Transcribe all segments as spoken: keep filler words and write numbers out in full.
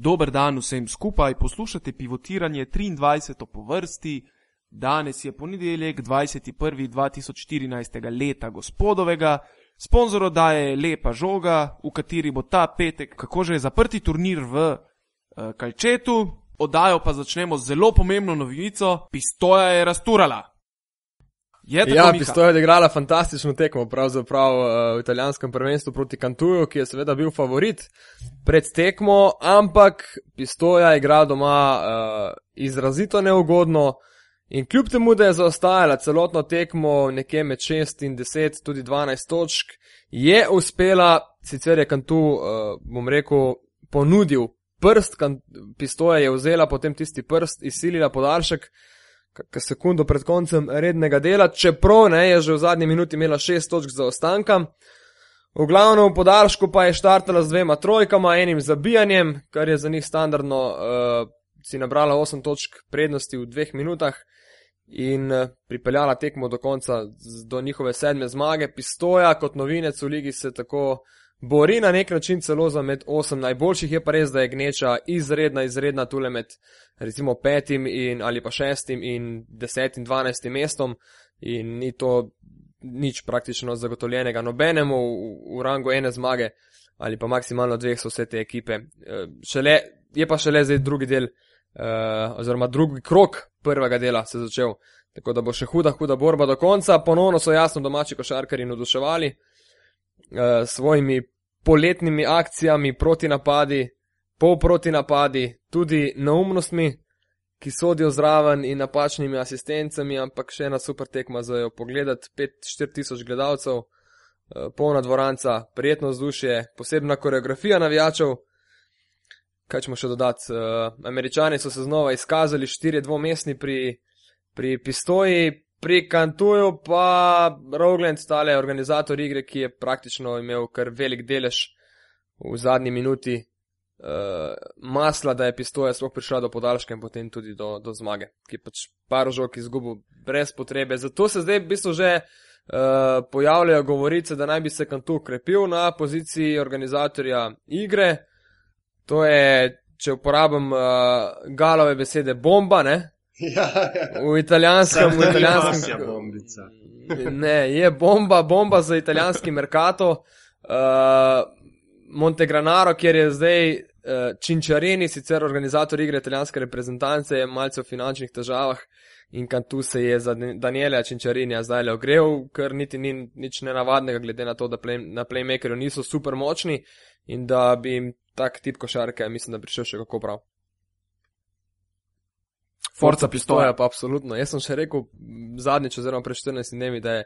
Dober dan vsem skupaj, poslušate Pivotiranje triindvajseto po vrsti. Danes je ponedeljek dvajseti prvi dva tisoč štirinajstega leta gospodovega. Sponzor oddaje je Lepa žoga, v kateri bo ta petek, kako že je zaprti turnir v uh, Kalčetu. Oddajo pa začnemo z zelo pomembno novico. Pistoja je razturala. Je tako, ja, Miha? Pistoja je odigrala fantastično tekmo, pravzaprav uh, v italijanskem prvenstvu proti Cantuju, ki je seveda bil favorit pred tekmo, ampak Pistoja igra doma uh, izrazito neugodno in kljub temu, da je zaostajala celotno tekmo nekje med šest in deset, tudi dvanajst točk, je uspela, sicer je Cantu, uh, bom rekel, ponudil prst, Pistoja je vzela potem tisti prst, izsilila podaljšek, kakor sekundo pred koncem rednega dela, čeprav ne, je že v zadnji minuti imela šest točk zaostanka. V glavnem v podaljšku pa je štartala z dvema trojkama, enim zabijanjem, kar je za njih standardno, uh, si nabrala osem točk prednosti v dveh minutah in uh, pripeljala tekmo do konca, do njihove sedme zmage. Pistoja kot novinec v ligi se tako bori na nek način celo za med osem najboljših, je pa res, da je gneča izredna, izredna tule med recimo petim in, ali pa šestim in desetim, dvanajstim mestom in ni to nič praktično zagotovljenega nobenemu v, v rangu ene zmage ali pa maksimalno dveh so vse te ekipe. Šele, je pa šele zdaj drugi del uh, oziroma drugi krok prvega dela se začel, tako da bo še huda, huda borba do konca. Ponovno so jasno domači košarkarji navduševali Uh, svojimi poletnimi akcijami, protinapadi, polprotinapadi, tudi neumnostmi, ki sodijo zraven in napačnimi asistencami, ampak še ena super tekma za jo pogledati, pet štiri tisoč gledalcev, uh, polna dvoranca, prijetno vzdušje, posebna koreografija navijačev. Kaj ćemo še dodati? Uh, Američani so se znova izkazali, štirje dvomestni pri, pri Pistoji. Pri Cantuju pa Rogland, tale organizator igre, ki je praktično imel kar velik delež v zadnji minuti uh, masla, da je Pistoja sploh prišla do podaljška in potem tudi do, do zmage, ki je pač par žog izgubil brez potrebe. Zato se zdaj v bistvu že uh, pojavljajo govorice, da naj bi se Cantu krepil na poziciji organizatorja igre. To je, če uporabim uh, Galove besede, bomba, ne? Ja, ja. V italijanskem, v italijanskem, bombica. Ne, je bomba, bomba za italijanski mercato. Uh, Montegranaro, kjer je zdaj uh, Cinčarini, sicer organizator igre italijanske reprezentance, je malce v finančnih težavah in Cantu se je za Daniela Cinčarinija zdaj le ogrel, ker niti ni nič nenavadnega, glede na to, da play, na playmakerju niso super močni in da bi jim tak tip košarke, mislim, da prišel še kako prav. Forza Pistoja. Pa absolutno. Jaz sem še rekel zadnjič oziroma pred štirinajstimi dnevi, da je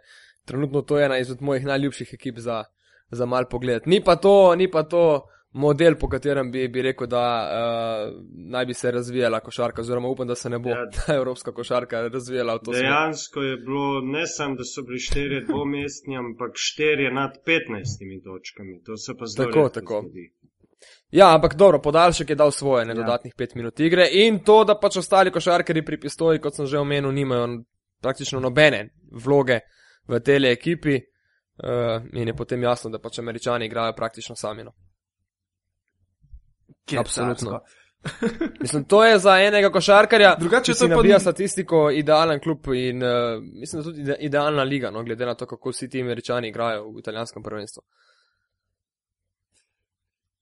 trenutno to ena izmed mojih najljubših ekip za, za mal pogled. Ni pa to, ni pa to model, po katerem bi, bi rekel, da uh, naj bi se razvijala košarka, oziroma upam, da se ne bo ja, ta evropska košarka razvijala v to smer. Dejansko je bilo ne samo, da so bili štirje dvomestni, ampak štirje nad petnajstimi točkami. To se pa zelo redko tako. zgodi. Ja, ampak dobro, podaljšek je dal svoje, ne, dodatnih ja. pet minut igre in to, da pač ostali košarkari pri Pistoji, kot sem že omenil, nimajo praktično nobene vloge v tele ekipi uh, in je potem jasno, da pač Američani igrajo praktično sami. No. Absolutno. Mislim, to je za enega košarkarja, Drugače ki si pa nabija ni... statistiko, idealen klub in uh, mislim, da tudi idealna liga, no, glede na to, kako vsi ti Američani igrajo v italijanskem prvenstvu.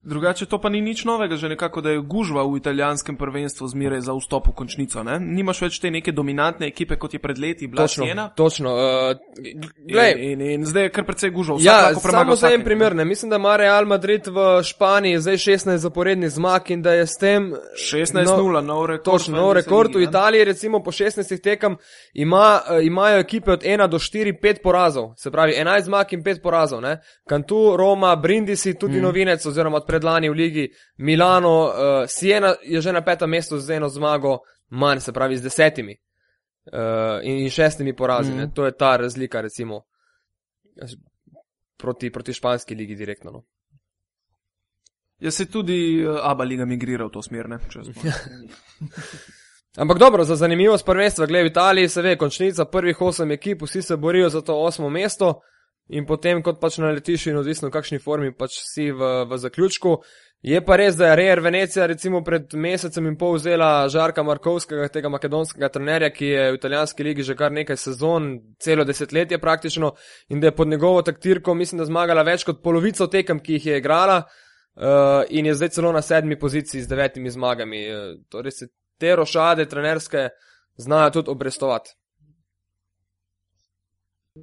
Drugače to pa ni nič novega, že nekako, da je gužva v italijanskem prvenstvu zmeraj za vstop v končnico, ne? Nimaš več te neke dominantne ekipe, kot je pred leti bila Siena. Točno, uh, glej. In, in, in zdaj je kar precej gužva. Ja, samo za en primer, ne? Mislim, da ima Real Madrid v Španiji zdaj šestnajst zaporednih zmag in da je s tem šestnajst nula, no, nov rekord. Točno, nov rekord. V Italiji recimo po šestnajstih tekam ima, uh, imajo ekipe od ena do štiri, pet porazov. Se pravi, enajst zmag in pet porazov, ne? Cantu, Roma, Brindisi, tudi hmm. novinec oziroma predlani v ligi, Milano, uh, Siena je že na petem mestu z eno zmago manj, se pravi z desetimi uh, in, in šestimi porazi. Mm. To je ta razlika recimo proti, proti španski ligi direktno. No. Jaz se tudi uh, Aba liga migrira v to smer, ne? Ampak dobro, za zanimivost prvenstva, glede v Italiji se ve, končnica prvih osem ekip, vsi se borijo za to osmo mesto. In potem, kot pač naletiš in odvisno v kakšni formi pač si v, v zaključku. Je pa res, da je Real Venecija recimo pred mesecem in pol vzela Žarka Markovskega, tega makedonskega trenerja, ki je v italijanski ligi že kar nekaj sezon, celo desetletje praktično, in da je pod njegovo taktirko, mislim, da zmagala več kot polovico tekem, ki jih je igrala, uh, in je zdaj celo na sedmi poziciji z devetimi zmagami. Uh, torej se te rošade trenerske znajo tudi obrestovati.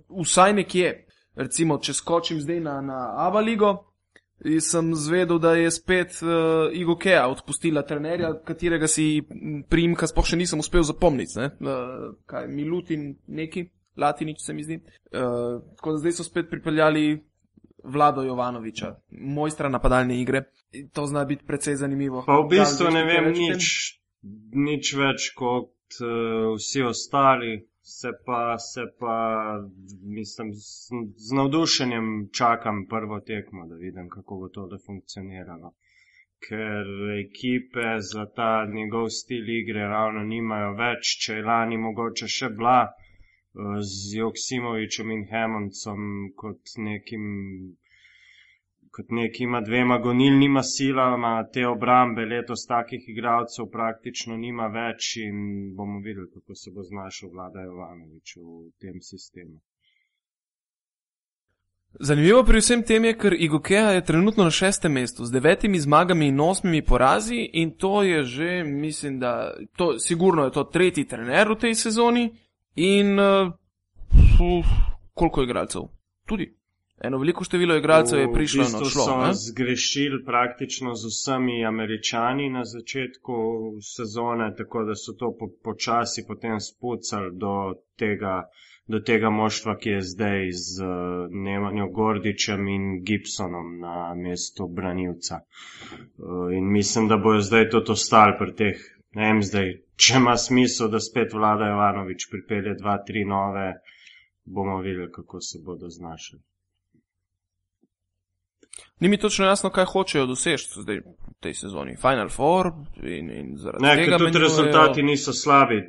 Vsaj nekje. Recimo, če skočim zdaj na, na Aba ligo, sem zvedel, da je spet uh, Igokea odpustila trenerja, katerega si priimka sploh še nisem uspel zapomniti. Ne? Uh, kaj, Milutin neki, Latinič se mi zdi. Uh, tako da zdaj so spet pripeljali Vlado Jovanoviča, mojstra napadalne igre. To zna biti precej zanimivo. Pa v bistvu ne vem nič, nič več kot uh, vsi ostali. Se pa, se pa, mislim, z, z navdušenjem čakam prvo tekmo, da vidim, kako bo to da funkcioniralo. Ker ekipe za ta njegov stil igre ravno nimajo več, če je lani mogoče še bila z Joksimovičem in Hammondsom kot nekim, kot nekima dvema gonilnima silama te obrambe, letos takih igralcev praktično nima več in bomo videli, kako se bo znašel Vlada Jovanovič v tem sistemu. Zanimivo pri vsem tem je, ker Igokea je trenutno na šestem mestu z devetimi zmagami in osmimi porazi in to je že, mislim, da to, sigurno je to tretji trener v tej sezoni in uh, uf, koliko igralcev? Tudi. Eno veliko število igralcev je prišlo in odšlo. V bistvu so zgrešili praktično z vsemi Američani na začetku sezone, tako da so to po, počasi potem spucali do tega, do tega moštva, ki je zdaj z uh, Nemanjo Gordičem in Gibsonom na mestu branilca. Uh, in mislim, da bojo zdaj tudi ostali pri teh, ne vem zdaj, če ima smisel, da spet Vlada Jovanovič pripelje dva, tri nove, bomo videli, kako se bodo znašali. Ni mi točno jasno, kaj hočejo doseči zdaj v tej sezoni. Final Four in, in zaradi ne, tega... Ne, ker tudi menjujejo... rezultati niso slabi.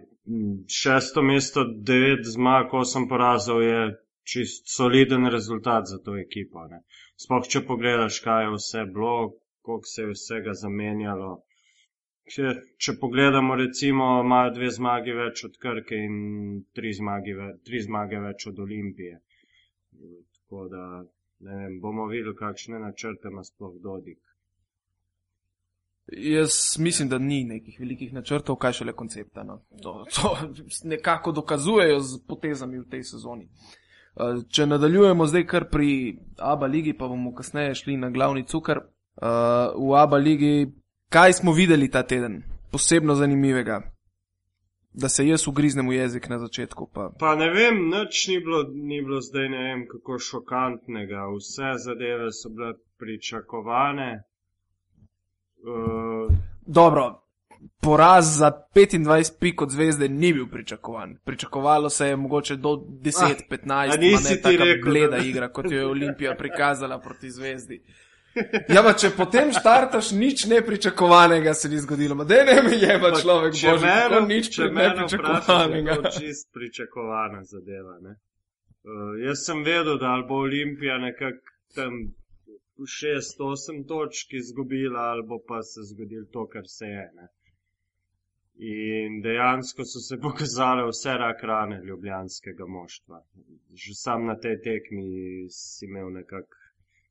Šesto mesto, devet zmag, osem porazov je čist soliden rezultat za to ekipo. Ne. Sploh, če pogledaš, kaj je vse bilo, koliko se je vsega zamenjalo. Če, če pogledamo, recimo, imajo dve zmagi več od Krke in tri zmage, tri zmage več od Olimpije. Tako da... Ne vem, bomo videli, kakšne načrte ima sploh Dodik. Jaz mislim, da ni nekih velikih načrtov, kaj šele koncepta. No. To, to nekako dokazujejo z potezami v tej sezoni. Če nadaljujemo zdaj kar pri Aba ligi, pa bomo kasneje šli na glavni cukor. V Aba ligi, kaj smo videli ta teden? Posebno zanimivega. Da se jaz ugriznem v jezik na začetku. Pa, pa ne vem, nič ni bilo, ni bilo zdaj ne vem kako šokantnega. Vse zadeve so bile pričakovane. Uh... Dobro, poraz za petindvajset pik od Zvezde ni bil pričakovan. Pričakovalo se je mogoče do deset petnajst, ah, pa ne taka rekel, bleda da... igra, kot jo je Olimpija prikazala proti Zvezdi. Ja, pa če potem štartaš, nič nepričakovanega se ni zgodilo. Ma dej ne me jeba človek, bože, tako nič nepričakovanega. To je čist pričakovana zadeva, ne. Uh, jaz sem vedel, da ali bo Olimpija nekako tam šest osem točk izgubila, ali bo pa se zgodilo to, kar se je, ne. In dejansko so se pokazale vse rak rane ljubljanskega moštva. Že sam na tej tekmi si imel nekako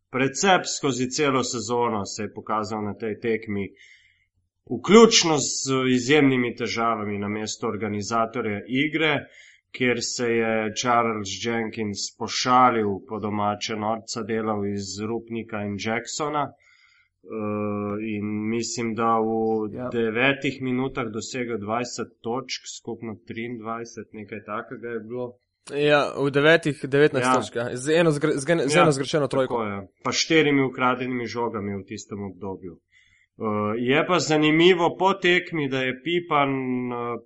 Precep skozi celo sezono se je pokazal na tej tekmi, vključno z izjemnimi težavami na mesto organizatorja igre, kjer se je Charles Jenkins pošalil po domače norca delal iz Rupnika in Jacksona uh, in mislim, da v ja. devetih minutah dosegel dvajset točk, skupno triindvajset, nekaj takega je bilo. Ja, v devetih, devetnajst ja. točka, z eno, zgre, z eno ja, zgrešeno trojko. Tako, ja. Pa štirimi ukradenimi žogami v tistem obdobju. Uh, je pa zanimivo po tekmi, da je Pipan uh,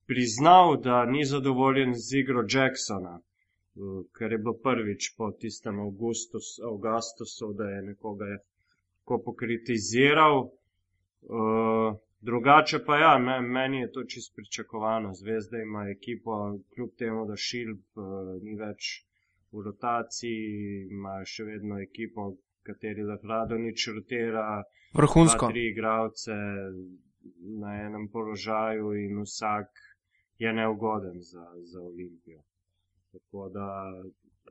priznal, da ni zadovoljen z igro Jacksona, uh, ker je bilo prvič po tistem Augustus, Augustusu, da je nekoga je ko pokritiziral. Uh, Drugače pa ja, me, meni je to čisto pričakovano. Zvezda ima ekipo, kljub temu, da Šilb uh, ni več v rotaciji, ima še vedno ekipo, kateri Radonjić rotira Vrhunsko. dva, tri igralce na enem položaju in vsak je neugoden za, za Olimpijo. Tako da,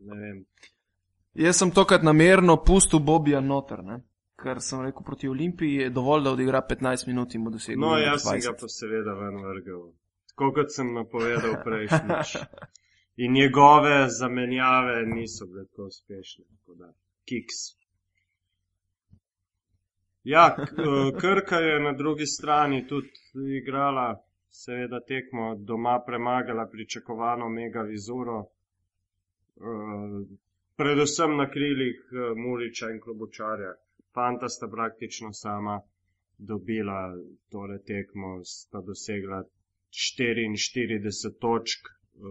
ne vem. Jaz sem tokrat namerno pustil Bobija noter, ne? Ker sem rekel, proti Olimpiji je dovolj, da odigra petnajst minut in bo dosegel No, dvajset. jaz sem ga pa seveda ven vrgel. Tako kot sem napovedal prejšnjič. In njegove zamenjave niso bile tako uspešne. Tako da, kiks. Ja, Krka je na drugi strani tudi igrala, seveda tekmo doma premagala pričakovano Mega Vizuro. Predvsem na krilih Muriča in Klobučarja. Fanta sta praktično sama dobila tole tekmo, sta dosegla štiriinštirideset točk uh,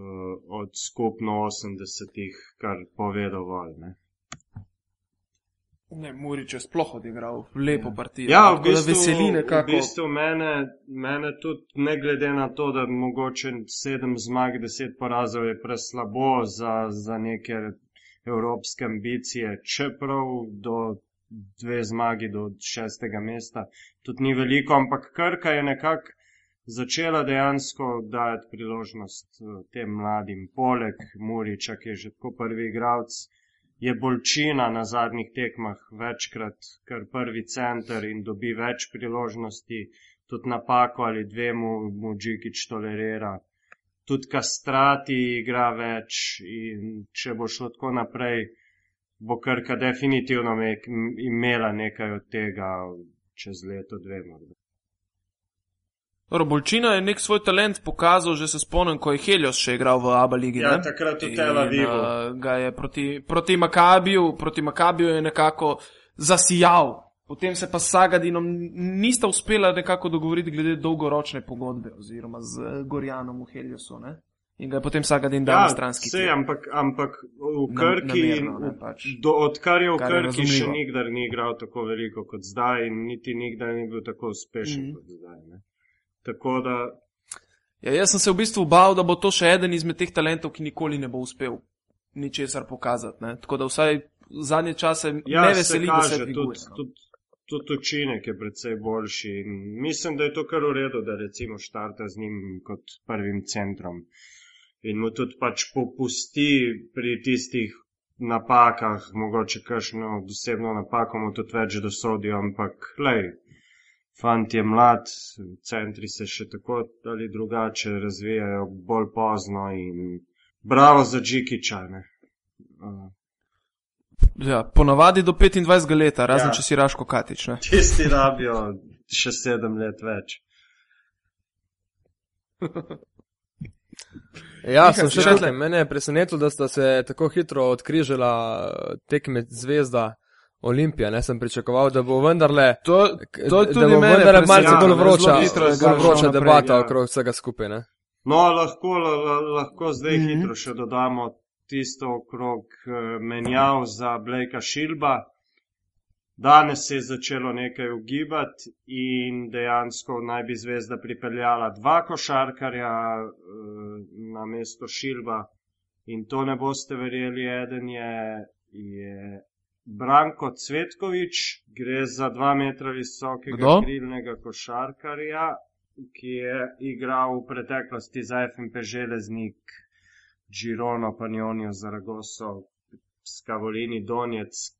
od skupno osemdesetih, kar pove dovolj, ne. Ne, Murič je sploh odigral lepo partijo. Ja, v Tako da bistvu, veseli v nekako. bistvu mene, mene tudi, ne glede na to, da mogoče sedem zmag, deset porazov je preslabo za, za neke evropske ambicije, čeprav do dve zmagi do šestega mesta tudi ni veliko, ampak Krka je nekako začela dejansko dajati priložnost tem mladim. Poleg Muriča, ki je že tako prvi igralec, je Bolčina na zadnjih tekmah večkrat kar prvi center in dobi več priložnosti, tudi napako ali dve mu, mu Džikić tolerira. Tudi Kastrati igra več in če bo šlo tako naprej, bo Krka definitivno imela nekaj od tega čez leto, dve morda. Dobro, Bolčina je nek svoj talent pokazal, že se spomnim, ko je Helios še igral v ABA ligi. Ja, ne? takrat v Tel Avivu. In uh, ga je proti, proti Makabiju, proti Makabiju je nekako zasijal. Potem se pa s Sagadinom nista uspela nekako dogovoriti glede dolgoročne pogodbe oziroma z Gorjanom v Heliosu, ne? In ga je potem Sagadin dal Ja, na stranski sej, tir. ampak, ampak v Nam- Krki, namerno, ne, pač. do, odkar je v Kar je Krki še razumljivo. nikdar ni igral tako veliko kot zdaj in niti nikdar ni bil tako uspešen Mhm. kot zdaj. Ne? Tako da, Ja, jaz sem se v bistvu bal, da bo to še eden izmed teh talentov, ki nikoli ne bo uspel ničesar pokazati, ne? Tako da vsaj zadnje čase ja, me se veseli, da se kaže, dviguje. tudi, no. tudi, tudi učinek je predvsej boljši in mislim, da je to kar v redu, da recimo štarta z njim kot prvim centrom. In mu tudi pač popusti pri tistih napakah, mogoče kakšno dosebno napako mu tudi več dosodijo, ampak lej, fant je mlad, centri se še tako ali drugače razvijajo bolj pozno in bravo za Džikića, ne. Uh, Ja, ponavadi do petindvajsetega leta, razen Ja. če si Raško Katič, ne? tisti rabijo še sedem let več. Ja, Miha, sem še še tukaj. Mene je presenetilo, da sta se tako hitro odkrižala eh, tekme Zvezda Olimpija. Ne sem pričakoval, da bo vendarle, To, k- to je da tudi bo mene vendarle malce presenetilo, bolj ne, vroča, zelo hitro je bolj šlo vroča naprej, debata ja. okrog vsega skupaj. Ne? No, lahko, la, la, lahko zdaj Mhm. hitro še dodamo tisto okrog eh, menjav za Blakea Shilba. Danes se je začelo nekaj ugibati in dejansko naj bi Zvezda pripeljala dva košarkarja eh, na mesto Shilba. In to ne boste verjeli, eden je, je Branko Cvetković, gre za dva metra visokega Kdo? krilnega košarkarja, ki je igral v preteklosti za F M P Železnik, Girono, Panionijo, Zaragozo, Skavolini, Donjeck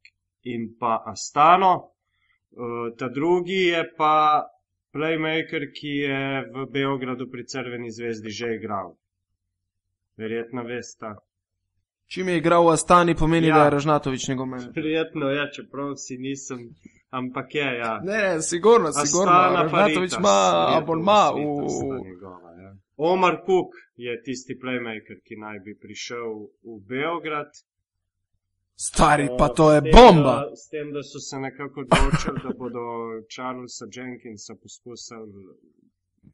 in pa Astano. Uh, ta drugi je pa playmaker, ki je v Beogradu pri Crveni zvezdi že igral. Verjetno veste. Čim je igral v Astani, pomeni, Ja. da je Ražnatovič njegov menedžer. Verjetno je, čeprav si nisem, ampak je, ja. Ne, ne, sigurno, sigurno. Astana Ražnatovič Paritas, ima Virtus abonma v... Virtus sta njegova, ja. Omar Cook je tisti playmaker, ki naj bi prišel v Beograd. Stari, pa to je S tem, bomba. Da, s tem, da so se nekako odločili, da bodo Charlesa Jenkinsa poskusili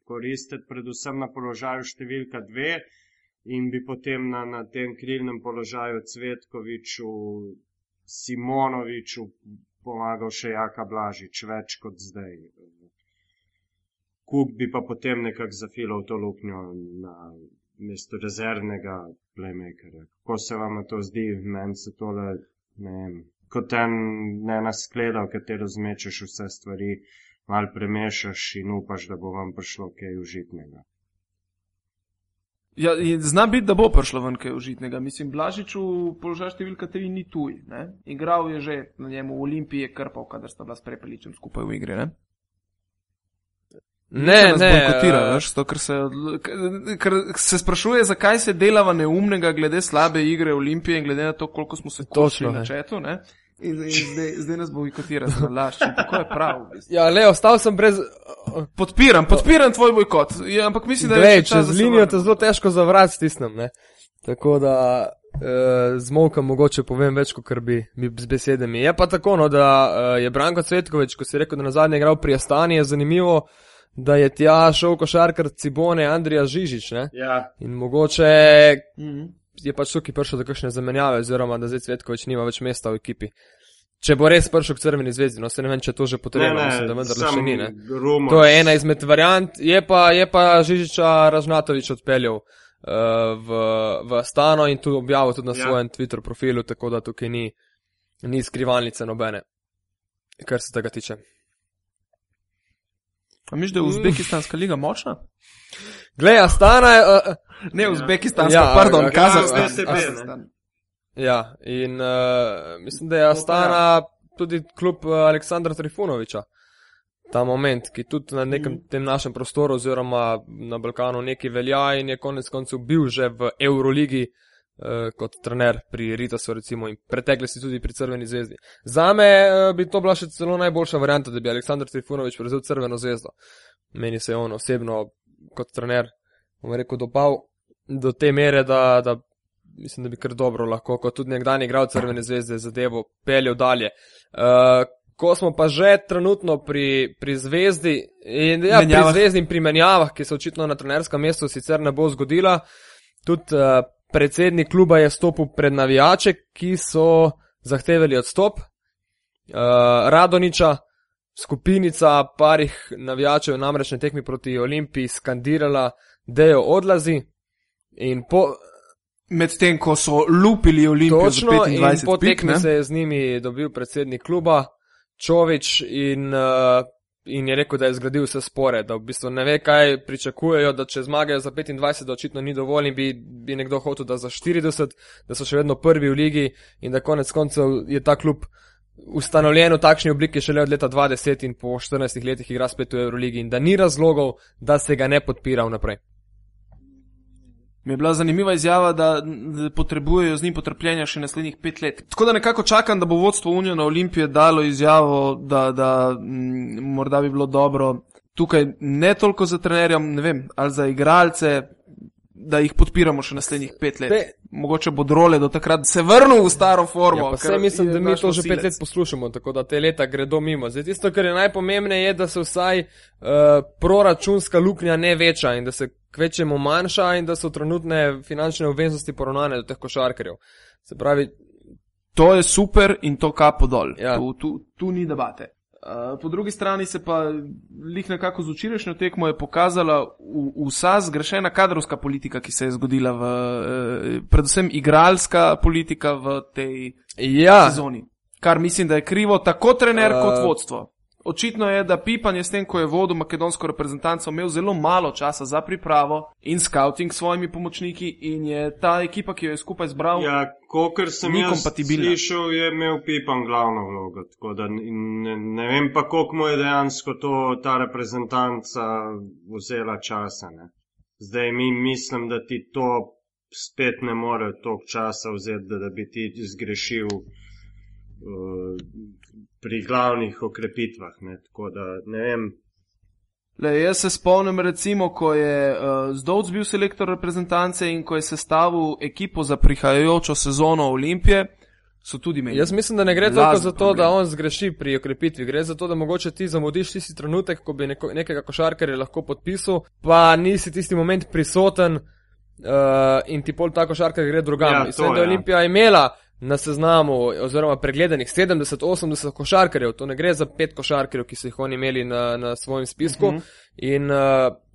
koristiti predvsem na položaju številka dve in bi potem na, na tem krilnem položaju Cvetkoviću, Simonoviću pomagal še Jaka Blažič, več kot zdaj. Cook bi pa potem nekako zafilal to luknjo na mesto rezervnega playmakera. Kako se vam to zdi? Meni se tole, ne vem, kot en ne naskleda, v katero zmečeš vse stvari, mal premešaš in upaš, da bo vam prišlo kaj užitnega. Ja, zna biti, da bo prišlo ven kaj užitnega. Mislim, Blažič v položaju številka tri ni tuj, ne? Igral je že na njemu, v Olimpiji je krpal, kadar sta bila s Prepeličem skupaj v igri, ne? Ne, ne. Bojkotira, veš, to, ker se, ker se sprašuje, zakaj se delava neumnega glede slabe igre Olimpije in glede na to, koliko smo se košili na četu, ne? In, in zdaj, zdaj nas bojkotira za lašče. Tako je prav. Ja, le, ostal sem brez... Podpiram, podpiram tvoj bojkot. Ja, ampak mislim, da je Glej, še čas, čez linijo te zelo težko zavrat stisnem, ne. Tako da eh, zmolkam mogoče povem več, kot bi, bi z besedami. Je pa tako, no, da eh, je Branko Cvetković, ko si rekel, da nazadnje igral pri Astani, je zanimivo, da je tja šel košarkar Cibone Andrija Žižić, ne. Ja. In mogoče Mhm. je pač tukaj prišel do kakšne zamenjave, oziroma da zdaj Cvetković nima več mesta v ekipi. Če bo res prišel k Crveni zvezdi, no se ne vem, če to že potrebno, mislim, da vendar še ni, ne. Rumor. To je ena izmed variant, je pa, je pa Žižića Ražnatović odpeljal uh, v, v Astano in tu objavil tudi na Ja. svojem Twitter profilu, tako da tukaj ni, ni skrivalnice nobene, kar se tega tiče. A misliš, da je Uzbekistanska liga močna? Glej, Astana je... Uh, Ne, Uzbekistanska, Ja, pardon, ja, Kazahstan. ja, S T B, ne. Kazahstan. ja, in uh, mislim, da je Astana tudi klub uh, Aleksandra Trifunovića. Ta moment, ki tudi na nekem tem našem prostoru oziroma na Balkanu nekaj velja in je konec koncev bil že v Euroligi uh, kot trener pri Ritasu recimo in pretekli si tudi pri Crveni zvezdi. Zame uh, bi to bila še celo najboljša varianta, da bi Aleksandar Trifunović prevzel Crveno zvezdo. Meni se je on osebno kot trener, bom rekel, dopal do te mere, da, da mislim, da bi kar dobro lahko, kot tudi nekdanji igral Crvene zvezde, zadevo peljal dalje. Uh, ko smo pa že trenutno pri, pri zvezdi in ja, pri Menjavah. zvezdi in pri menjavah, ki se očitno na trenerskem mestu sicer ne bo zgodila, tudi uh, predsednik kluba je stopil pred navijače, ki so zahtevali odstop. Uh, Radoniča, skupinica parih navijačev namreč na tekmi proti Olimpiji skandirala, Dejo odlazi in po, Medtem, ko so lupili Olimpijo za točno, in petindvajset po pik, tekmi ne? se je z njimi dobil predsednik kluba Čović in, uh, in je rekel, da je zgradil vse spore, da v bistvu ne ve, kaj pričakujejo, da če zmagajo za petindvajset, da očitno ni dovolj in bi, bi nekdo hotel, da za štirideset, da so še vedno prvi v ligi in da konec koncev je ta klub ustanovljen v takšni obliki šele od leta dva tisoč deset in po štirinajstih letih igra spet v Euroligi in da ni razlogov, da se ga ne podpira vnaprej. Mi je bila zanimiva izjava, da da potrebujejo z njim potrpljenja še naslednjih pet let. Tako da nekako čakam, da bo vodstvo Uniona Olimpije dalo izjavo, da, da m, morda bi bilo dobro tukaj ne toliko za trenerjem, ne vem, ali za igralce, da jih podpiramo še naslednjih pet let. Te- Mogoče bo Drole do takrat se vrnil v staro formo. Ja, pa ker saj mislim, je da mi naš to že nosilec. pet let poslušamo, tako da te leta gredo mimo. Zdaj tisto, kar je najpomembneje, je, da se vsaj uh, proračunska luknja ne veča in da se kvečemo manjša in da so trenutne finančne obveznosti poravnane do teh košarkarjev. Se pravi, To je super in to kapo dol. Ja. Tu, tu, tu ni debate. Uh, po drugi strani se pa lih nekako z včerajšnjo tekmo je pokazala v, vsa zgrešena kadrovska politika, ki se je zgodila v, uh, predvsem igralska politika v tej ja, sezoni. Kar mislim, da je krivo tako trener Uh, kot vodstvo. Očitno je, da Pipan je s tem, ko je vodil makedonsko reprezentanco, imel zelo malo časa za pripravo in scouting s svojimi pomočniki in je ta ekipa, ki jo je skupaj zbral, Ja, kolikor sem Ni jaz kompatibilna. slišal, je imel Pipan glavno vlogo. Tako da in ne, ne vem pa, koliko mu je dejansko to, ta reprezentanca vzela časa. Ne. Zdaj mi mislim, da ti to spet ne more toliko časa vzeti, da, da bi ti zgrešil uh, pri glavnih okrepitvah. Ne. Tako da ne vem. Le, jaz se spomnim recimo, ko je uh, Zdovc bil selektor reprezentance in ko je sestavil ekipo za prihajajočo sezono Olimpije, so tudi imeli. jaz mislim, da ne gre Lazen toliko za to, problem. da on zgreši pri okrepitvi. Gre za to, da mogoče ti zamudiš tisti trenutek, ko bi neko, nekega košarkarja lahko podpisal, pa nisi tisti moment prisoten uh, in ti pol ta košarkar gre drugam. Ja, Ja, to Mislim, da je ja. Olimpija imela na seznamu oziroma pregledanih sedemdeset osemdeset košarkarjev, to ne gre za pet košarkarjev, ki so jih oni imeli na, na svojem spisku. Mhm. In uh,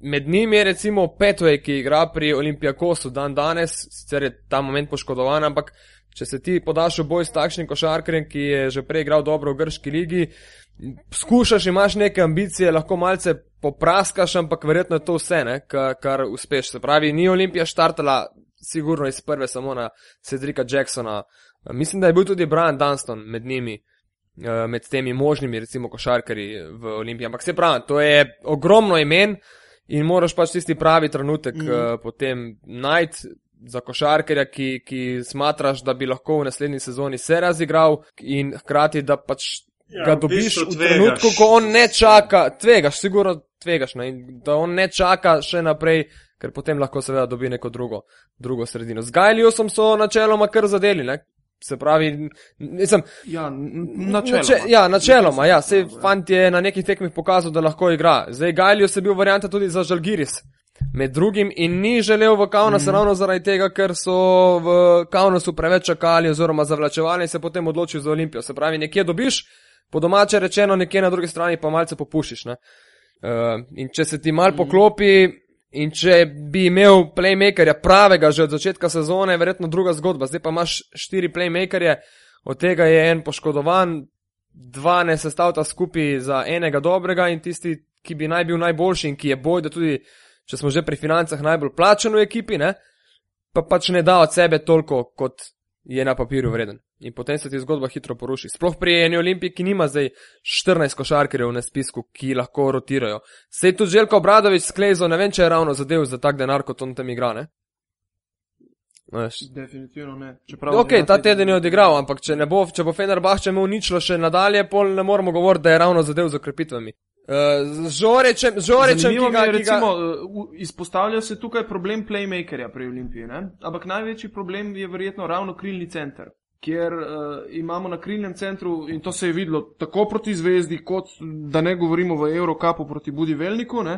med njimi je recimo Petway, ki igra pri Olimpijakosu dan danes, sicer je ta moment poškodovan, ampak če se ti podaš v boj s takšnim košarkarjem, ki je že prej igral dobro v grški ligi, skušaš, imaš neke ambicije, lahko malce popraskaš, ampak verjetno je to vse, ne, kar, kar uspeš. Se pravi, ni Olimpija štartala sigurno iz prve samo na Cedrika Jacksona. Mislim, da je bil tudi Brian Dunston med njimi, med temi možnimi, recimo, košarkarji v Olimpiji. Ampak se pravi, to je ogromno imen in moraš pač tisti pravi trenutek mm. potem najti za košarkarja, ki, ki smatraš, da bi lahko v naslednji sezoni se razigral in hkrati, da pač ja, ga dobiš v, v trenutku, ko on ne čaka, tvegaš, sigurno tvegaš, ne, in da on ne čaka še naprej, ker potem lahko seveda dobi neko drugo, drugo sredino. Z Gailiosom so načeloma kar zadeli, ne. Se pravi, nisem... Ja, načeloma. Nače, ja, načeloma, ja. Sej fant je na nekih tekmih pokazal, da lahko igra. Zdaj, Gailios je bil varianta tudi za Žalgiris. Med drugim in ni želel v Kaunas mm. ravno zaradi tega, ker so v Kaunasu preveč čakali oziroma zavlačevali in se potem odločil za Olimpijo. Se pravi, nekje dobiš, po domače rečeno, nekje na drugi strani pa malce popušiš, ne. Uh, in če se ti mal mm. poklopi... In če bi imel playmakerja pravega že od začetka sezone, je verjetno druga zgodba. Zdaj pa imaš štiri playmakerje, od tega je en poškodovan, dva ne sestavta skupaj za enega dobrega in tisti, ki bi naj bil najboljši in ki je boj, da tudi, če smo že pri financah, najbolj plačen v ekipi, ne, pa pač ne da od sebe toliko, kot je na papirju vreden. In potem se ti zgodba hitro poruši. Sploh pri eni Olimpiji, ki nima zdaj štirinajst košarkarjev na spisku, ki lahko rotirajo. Sej tudi Željko Obradović sklezo, ne vem, če je ravno zadev za tak denar, kot on tam igra, ne? Veš. Definitivno ne. Čeprav ok, ta teden je odigral, ampak če ne bo, če bo Fenerbahče imel ničlo še nadalje, pol ne moramo govoriti, da je ravno zadev z okrepitvami. Uh, Žorečem, Žorečem, ki ga, ki ga... Recimo, uh, izpostavlja se tukaj problem playmakerja pri Olimpiji, ne? Ampak največji problem je verjetno ravno krilni center, kjer uh, imamo na krilnem centru, in to se je videlo tako proti Zvezdi, kot da ne govorimo v Eurocupu proti Budivelniku, ne?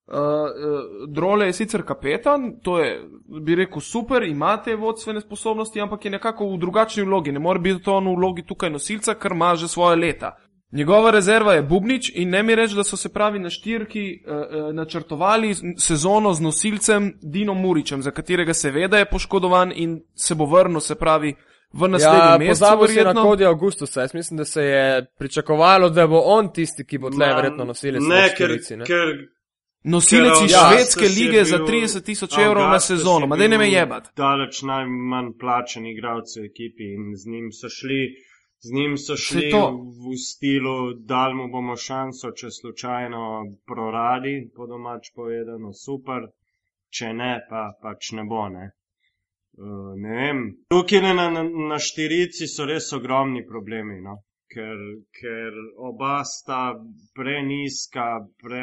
Uh, uh, Drole je sicer kapetan, to je, bi rekel, super, imate vodstvene sposobnosti, ampak je nekako v drugačni vlogi, ne more biti to on v vlogi tukaj nosilca, ker ima že svoje leta. Njegova rezerva je Bubnič in ne mi reči, da so se pravi na štirki uh, načrtovali sezono z nosilcem Dino Muričem, za katerega seveda je poškodovan in se bo vrnil, se pravi, v naslednjem ja, mesecu. Pozabo si na Kodija Augustusa, jaz mislim, da se je pričakovalo, da bo on tisti, ki bo tle verjetno nosilec ne, v štirici, ne? Ker, nosilec iz švedske lige za trideset tisoč evrov na sezono, ma daj ne me jebat. Daleč najmanj plačen igralec v ekipi in z njim so šli, z njim so šli v stilu, dal mu bomo šanso, če slučajno proradi, po domač povedano, super, če ne, pa pač ne bo, ne. Uh, ne vem, tukaj na, na, na štirici so res ogromni problemi, no, ker, ker oba sta preniska, pre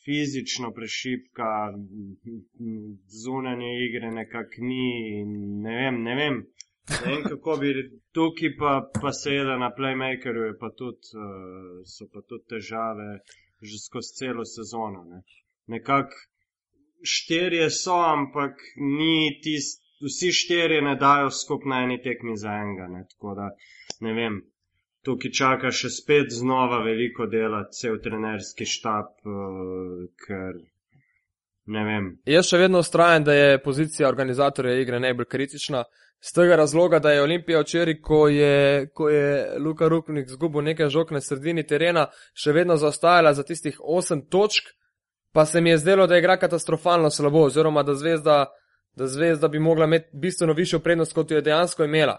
fizično prešipka, zunanje igre nekak ni, ne vem, ne vem, ne vem kako bi, tukaj pa, pa seveda na playmakerju je pa tudi, uh, so pa tudi težave že skozi celo sezono, ne, nekak štirje so, ampak ni tist, vsi štirje ne dajo skupaj na eni tekmi za enega, ne, tako da, ne vem, tukaj čaka še spet znova veliko dela, cel trenerski štab, uh, ker, ne vem. Jaz še vedno ustrajam, da je pozicija organizatorja igre najbolj kritična, z tega razloga, da je Olimpija včeraj, ko je, ko je Luka Rupnik zgubil nekaj žog na sredini terena, še vedno zaostajala za tistih osem točk, pa se mi je zdelo, da igra katastrofalno slabo, oziroma da Zvezda, da Zvezda bi mogla imeti bistveno višjo prednost, kot jo je dejansko imela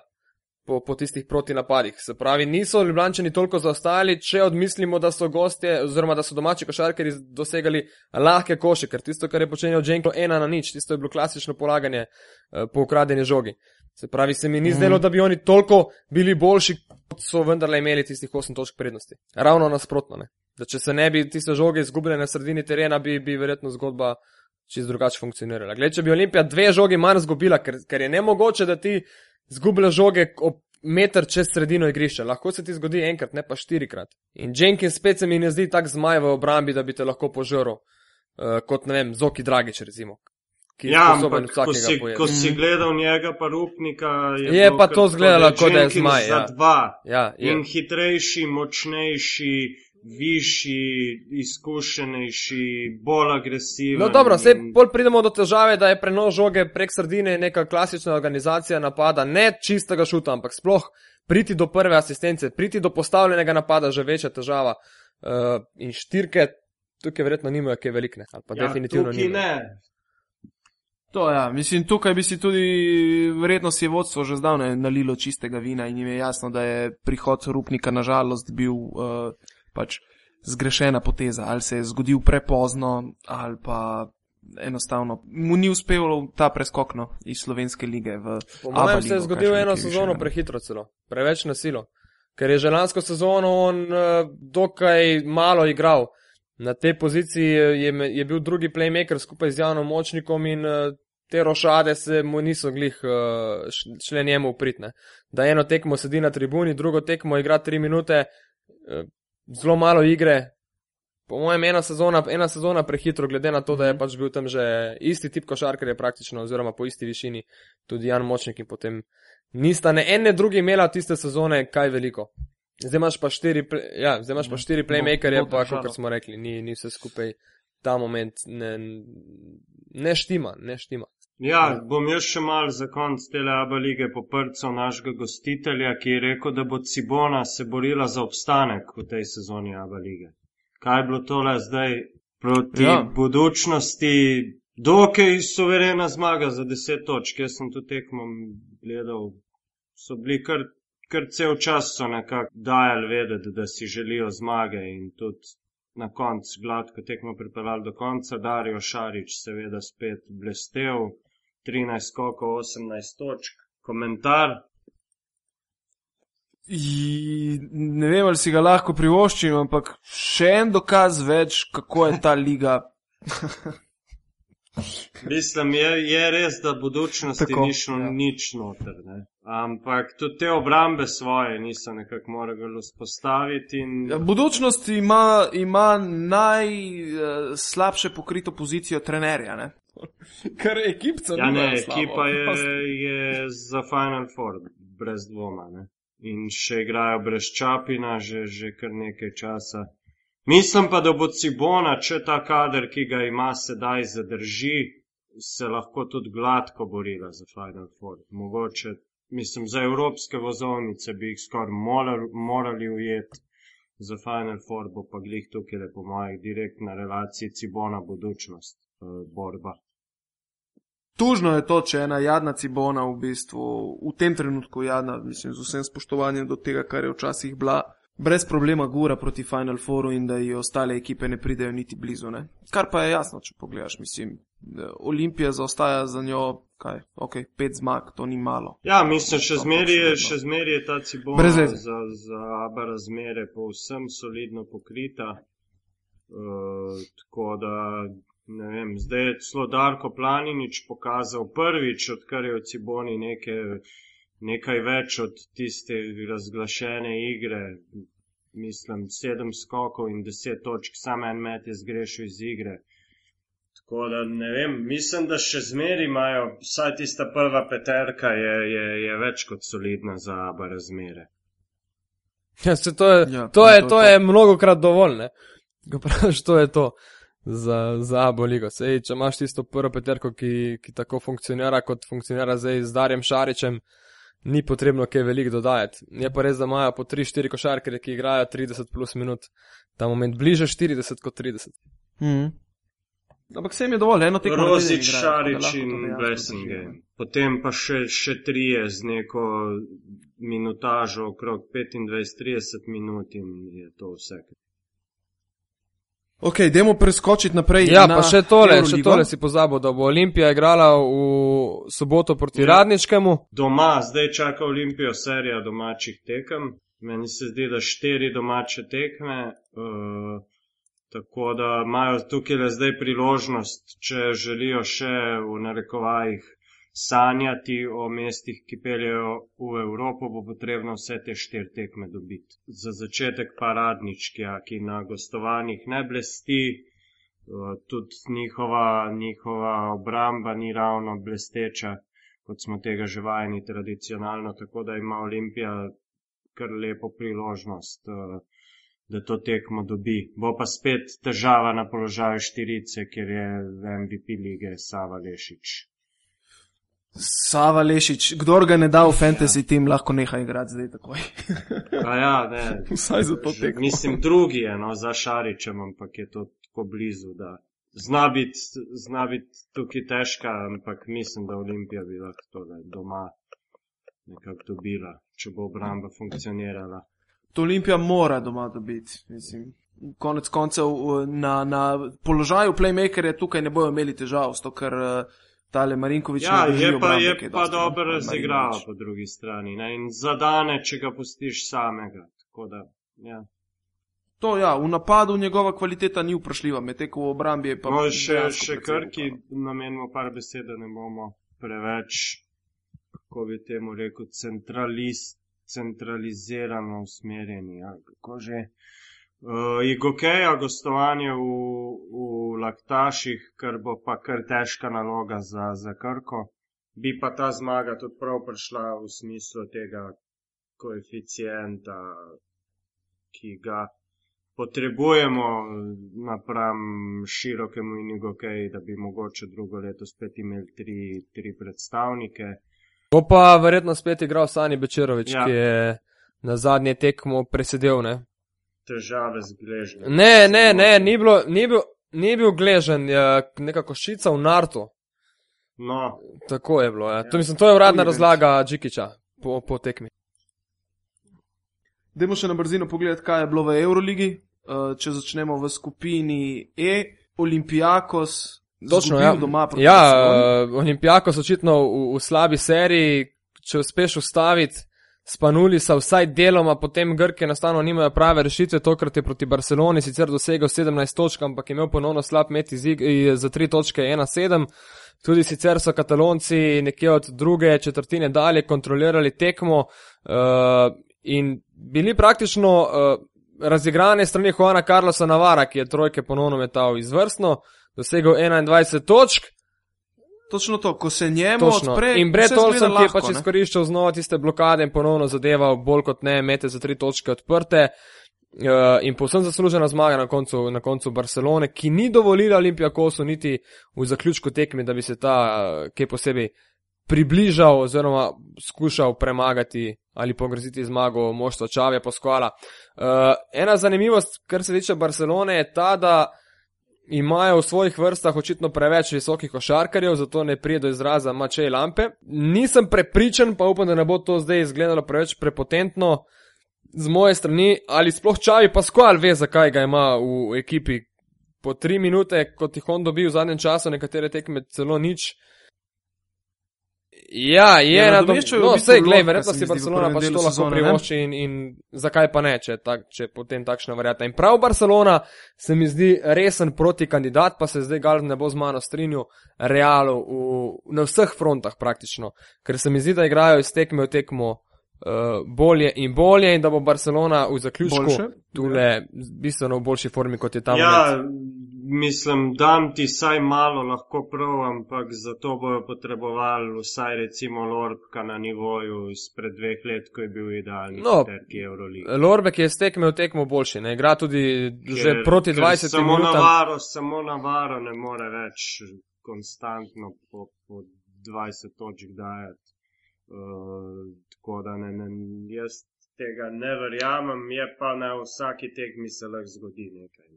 po, po tistih protinapadih. Se pravi, niso Ljubljančani toliko zaostajali, če odmislimo, da so gostje, oziroma da so domači košarkarji dosegali lahke koše, ker tisto, kar je počenjal Dženko, ena na nič, tisto je bilo klasično polaganje uh, po ukradeni žogi. Se pravi, se mi ni zdelo, da bi oni toliko bili boljši, kot so vendarle imeli tistih osem točk prednosti. Ravno nasprotno, ne. Da če se ne bi tiste žoge izgubile na sredini terena, bi, bi verjetno zgodba čist drugače funkcionirala. Gled, če bi Olimpija dve žogi manj zgubila, ker, ker je nemogoče, da ti zgubila žoge ob meter čez sredino igrišča. Lahko se ti zgodi enkrat, ne pa štirikrat. In Jenkins spet se mi ne zdi tak zmaj v obrambi, da bi te lahko požrl, uh, kot, ne vem, Zoki Dragić, recimo. Ja, ampak ko si, ko si gledal njega pa Rupnika, je, je pa to zgledalo, kot da je zmaj. Ja. Za dva. Ja, in hitrejši, močnejši, višji, izkušenejši, bolj agresiven. No dobro, zdaj bolj pridemo do težave, da je prenos žoge prek sredine neka klasična organizacija napada, ne čistega šuta, ampak sploh priti do prve asistence, priti do postavljenega napada, že večja težava. Uh, in štirke tukaj verjetno nimajo kaj velikne, ali pa ja, definitivno nimajo. Ne. To ja, mislim, tukaj bi si tudi verjetno si je vodstvo že zdavne nalilo čistega vina in jim je jasno, da je prihod Rupnika nažalost bil uh, pač zgrešena poteza, ali se je zgodil prepozno, ali pa enostavno mu ni uspelo ta preskok no, iz slovenske lige v Po mojem se je zgodil eno sezono prehitro celo, preveč na silo, ker je že lansko sezono on uh, dokaj malo igral. Na tej poziciji je, je bil drugi playmaker skupaj z Janom Močnikom in uh, te rošade se mu niso glih uh, šle njemu upritne. Da eno tekmo sedi na tribuni, drugo tekmo igra tri minute, uh, zelo malo igre. Po mojem ena sezona, ena sezona prehitro, glede na to, da je pač bil tam že isti tip košarkarja praktično, oziroma po isti višini tudi Jan Močnik in potem nista ne ene drugi imela tiste sezone kaj veliko. Zdaj imaš pa štiri, ja, zdaj imaš pa štiri playmakerje, pa kot smo rekli, ni, ni vse skupaj ta moment ne, ne štima, ne štima. Ja, bom jaz še mal za konc tele ABA lige poprcal našega gostitelja, ki je rekel, da bo Cibona se borila za obstanek v tej sezoni ABA lige. Kaj je bilo tole zdaj proti ja. budučnosti? Dokaj suverena zmaga za deset točk. Jaz sem to tekmo gledal, so bili kar Ker cel čas so nekako dajali vedeti, da si želijo zmage in tudi na koncu gladko tekmo pripeljali do konca. Dario Šarić seveda spet blestev, trinajst skokov, osemnajst točk. Komentar? I, ne vem, ali si ga lahko privoščim, ampak še en dokaz več, kako je ta liga. Mislim, je, je res, da budučnosti Tako, ni šlo ja. nič noter, ne. Ampak tudi te obrambe svoje niso nekako morali vzpostaviti. In... Ja, budučnost ima, ima najslabše pokrito pozicijo trenerja, ne? Kar ekipca ja, nima ne, slabo. ekipa je, je za Final Four, brez dvoma, ne. In še igrajo brez Čapina, že, že kar nekaj časa. Mislim pa, da bo Cibona, če ta kader, ki ga ima sedaj, zadrži, se lahko tudi gladko borila za Final Four. Mogoče, mislim, za evropske vozovnice bi jih skoraj morali, morali ujeti. Za Final Four bo pa glih tukaj le po mojih direktna relaciji Cibona budučnost uh, borba. Tužno je to, če ena jadna Cibona v bistvu, v tem trenutku jadna, mislim, z vsem spoštovanjem do tega, kar je včasih bila, brez problema gura proti Final Fouru in da ji ostale ekipe ne pridejo niti blizu, ne. Kar pa je jasno, če pogledaš, mislim, Olimpija zaostaja za njo, kaj, ok, pet zmag, to ni malo. Ja, mislim, še zmeri je, še zmeri je ta Cibona za, za ABA razmere povsem solidno pokrita, uh, tako da, ne vem, zdaj je celo Darko Planinič pokazal prvič, odkar je v Ciboni neke nekaj več od tiste razglašene igre, mislim, sedem skokov in deset točk, sam en met je zgrešil iz igre. Tako da, ne vem, mislim, da še zmeri imajo, vsaj tista prva peterka je, je, je več kot solidna za ABA razmere. Ja, se to je, ja, to je, to, to je mnogokrat dovolj, ne? Ko praviš, to je to za, za ABA ligo. Sej, če imaš tisto prvo peterko, ki, ki tako funkcionira, kot funkcionira zdaj z Darjem Šarićem, ni potrebno kaj veliko dodajati. Je pa res, da imajo po tri štiri košarkarje, ki igrajo trideset plus minut. Ta moment bliže štirideset kot trideset. Mhm. Ampak se jim je dovolj, eno tekmo. Rozič, Šarić in Blessing. Potem pa še, še trije z neko minutažo okrog petindvajset trideset minut in je to vse. Ok, dajmo preskočiti naprej. Ja, na pa še tole, Euroligo. še tole si pozabil, da bo Olimpija igrala v soboto proti Ja. Radničkemu. Doma, zdaj čaka Olimpijo serija domačih tekem. Meni se zdi, da štiri domače tekme, uh, tako da imajo tukaj le zdaj priložnost, če želijo še v narekovajih sanjati o mestih, ki peljejo v Evropo, bo potrebno vse te štiri tekme dobiti. Za začetek pa Radničkija, ki na gostovanjih ne blesti, tudi njihova, njihova obramba ni ravno blesteča, kot smo tega že vajeni tradicionalno, tako da ima Olimpija kar lepo priložnost da to tekmo dobi. Bo pa spet težava na položaju štirice, ker je v M V P lige Sava Lešič. Sava Lešič, kdor ga ne da v fantasy ja. Team, lahko neha igrati zdaj takoj. A ja, ne. Vsaj za to tekmo. Mislim, drugi je, no, za Šaričem, ampak je to tako blizu, da zna biti, zna biti tukaj težka, ampak mislim, da Olimpija bi lahko to doma nekako dobila, če bo obramba funkcionirala. To Olimpija mora doma dobiti, mislim. Konec koncev na, na položaju playmakerja tukaj ne bojo imeli težav, sto ker tale Marinković ja, ne drži obrambe. Ja, je pa, pa dobro razigrava po drugi strani, ne, in zadane, če ga pustiš samega, tako da, ja. To ja, v napadu njegova kvaliteta ni vprašljiva, medtem ko v obrambi je pa... No, še, še Krki namenimo par besed, da ne bomo preveč, kako bi temu rekel, centralist, centralizirano usmerjeni, ja, kako že. Uh, Igokeja gostovanje v, v Laktaših, kar bo pa kar težka naloga za, za Krko, bi pa ta zmaga tudi prav prišla v smislu tega koeficienta, ki ga potrebujemo napram širokemu in Igokeji, da bi mogoče drugo leto spet imeli tri, tri predstavnike. Bo pa verjetno spet igral Sani Bečerovič, ja. Ki je na zadnje tekmo presedel, ne? Težave z gležnjem. Ne, ne, ne, ni, bilo, ni, bil, ni bil gležen, neka košica v nartu. No. Tako je bilo, ja. To, mislim, to je uradna razlaga Džikića po, po tekmi. Dajmo še na brzino pogledati, kaj je bilo v Euroligi. Če začnemo v skupini E, Olympiakos Točno, zgubil ja. doma proti Ja, Barceloni. Olympiakos očitno v, v slabi seriji, če uspeš ustaviti Spanuli sa vsaj deloma, potem Grki enostavno nimajo prave rešitve, tokrat je proti Barceloni sicer dosegel sedemnajst točk, ampak imel ponovno slab met za tri točke ena sedem. Tudi sicer so Katalonci nekje od druge četrtine dalje kontrolirali tekmo uh, in bili praktično uh, razigrane strani Juana Carlosa Navara, ki je trojke ponovno metal izvrstno, dosegel enaindvajset točk. Točno to, ko se njemu Točno. odpre, in Brett Olson, ki je pač ne? izkoriščal znova tiste blokade in ponovno zadeval bolj kot ne, mete za tri točke odprte uh, in povsem zaslužena zmaga na koncu, na koncu Barcelone, ki ni dovolila Olympiakosu niti v zaključku tekmi, da bi se ta uh, kaj posebej približal oziroma skušal premagati ali pogroziti zmago moštva Xavija Pascuala. Uh, ena zanimivost, kar se tiče Barcelone, je ta, da imajo v svojih vrstah očitno preveč visokih košarkarjev, zato ne prije do izraza Matej Lampe. Nisem prepričan, pa upam, da ne bo to zdaj izgledalo preveč prepotentno z moje strani, ali sploh Xavi Pascual ve, zakaj ga ima v ekipi. Po tri minute, kot jih on dobi v zadnjem času, nekatere tekme celo nič. Ja, je ja, na dom... No, vsej, glej, verjetno si Barcelona pač to lahko privošči in, in zakaj pa ne, če, tak, če potem takšna varianta. In prav Barcelona se mi zdi resen protikandidat, pa se zdaj Galen ne bo z mano strinjal, Realu v, na vseh frontah praktično, ker se mi zdi, da igrajo iz tekme v tekmo uh, bolje in bolje in da bo Barcelona v zaključku tule bistveno v boljši formi, kot je tam. Ja, mislim, dam ti saj malo lahko prav, ampak zato bojo potrebovali vsaj recimo Lorbka na nivoju izpred dveh let, ko je bil idealni no, peterki Euroligi. Lorbek je s tekme v tekmo boljši, ne igra tudi ker, že proti dvajsetim samo minutam. Navaro, samo Navaro ne more več konstantno po, po dvajset točk dajati. Uh, tako da ne, ne, jaz tega ne verjamem, je pa na vsaki tekmi se lahko zgodi nekaj.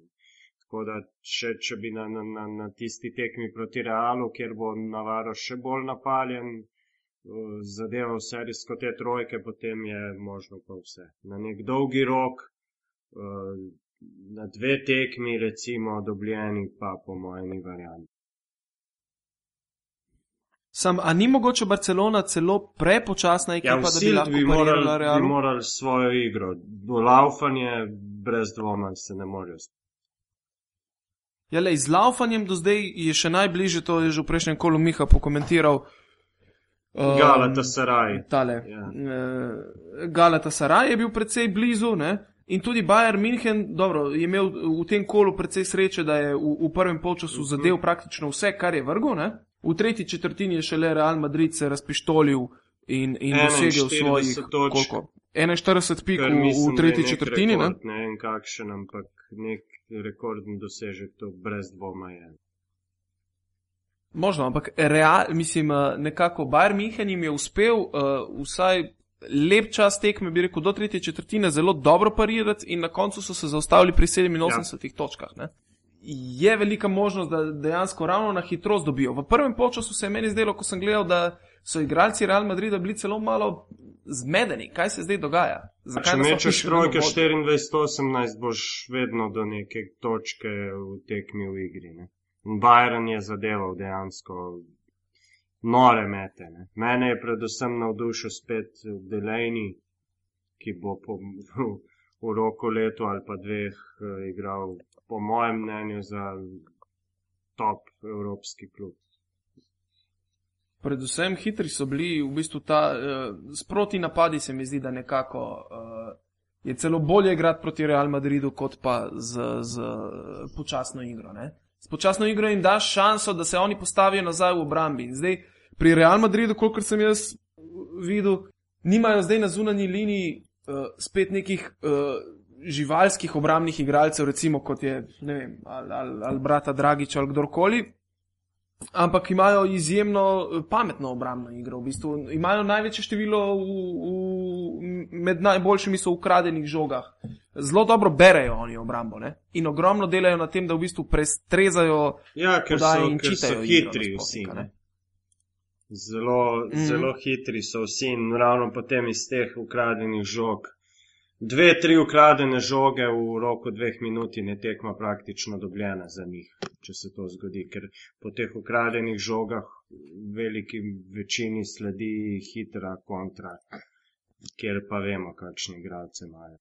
Tako da, če, če bi na, na, na tisti tekmi proti Realu, kjer bo Navaro še bolj napaljen, zadeval serijsko te trojke, potem je možno pa vse. Na nek dolgi rok, na dve tekmi recimo dobljeni, pa po mojem ni variant. Sam, a ni mogoče Barcelona celo prepočasna ekipa, ja, da bi lahko bi morali, parirala Realu? bi morali svojo igro. Laufanje brez dvoma se ne morajo spati. Ja, lej, z laufanjem do zdaj je še najbližje, to je že v prejšnjem kolu Miha pokomentiral. Um, Galatasaray. Tale. Ja. Uh, Galatasaray je bil precej blizu, ne? In tudi Bayern München, dobro, je imel v tem kolu precej sreče, da je v, v prvem polčasu uh-huh. zadev praktično vse, kar je vrgel, ne? V tretji četrtini je šele Real Madrid se razpištolil in, in dosegel svojih, koliko? enainštirideset pik Kar v, mislim, v da je tretji nek četrtini, ne? rekord, ne vem kakšen, ampak nek rekordni dosežek, to brez dvoma je. Možno, ampak real, mislim, eh, nekako Bayern München jim je uspel uh, vsaj lep čas tekme, bi rekel, do tretje četrtine zelo dobro parirati in na koncu so se zaustavili pri sedeminosemdesetih ja. točkah. Ne? Je velika možnost, da dejansko ravno na hitrost dobijo. V prvem polčasu se je meni zdelo, ko sem gledal, da so igralci Real Madrida bili celo malo zmedeni. Kaj se zdaj dogaja? Zakaj če mečeš trojke štiriindvajset osemnajst, boš vedno do neke točke v tekmi v igri. Ne? Bayern je zadeval dejansko nore mete. Ne? Mene je predvsem navdušil spet Delaney, ki bo po, v, v roku letu ali pa dveh uh, igral, po mojem mnenju, za top evropski klub. Predvsem hitri so bili, v bistvu ta uh, sproti napadi se mi zdi, da nekako uh, je celo bolje igrati proti Real Madridu, kot pa z, z počasno igro. Ne? S počasno igro jim daš šanso, da se oni postavijo nazaj v obrambi. In zdaj pri Real Madridu, kolikor sem jaz videl, nimajo zdaj na zunanji liniji uh, spet nekih uh, živalskih obrambnih igralcev, recimo kot je, ne vem, ali, ali, ali brata Dragić ali kdorkoli, ampak imajo izjemno pametno obrambno igro. V bistvu imajo največje število v, v, med najboljšimi so v ukradenih žogah. Zelo dobro berejo oni obrambo, ne? In ogromno delajo na tem, da v bistvu prestrezajo ja, podaje in ker čitajo so igro hitri nasploh, vsi. ne? Zelo, mm. zelo hitri so vsi in ravno potem iz teh ukradenih žog. Dve, tri ukradene žoge v roku dveh minut in je tekma praktično dobljena za njih, če se to zgodi, ker po teh ukradenih žogah veliki večini sledi hitra kontra, kjer pa vemo, kakšne igralce imajo.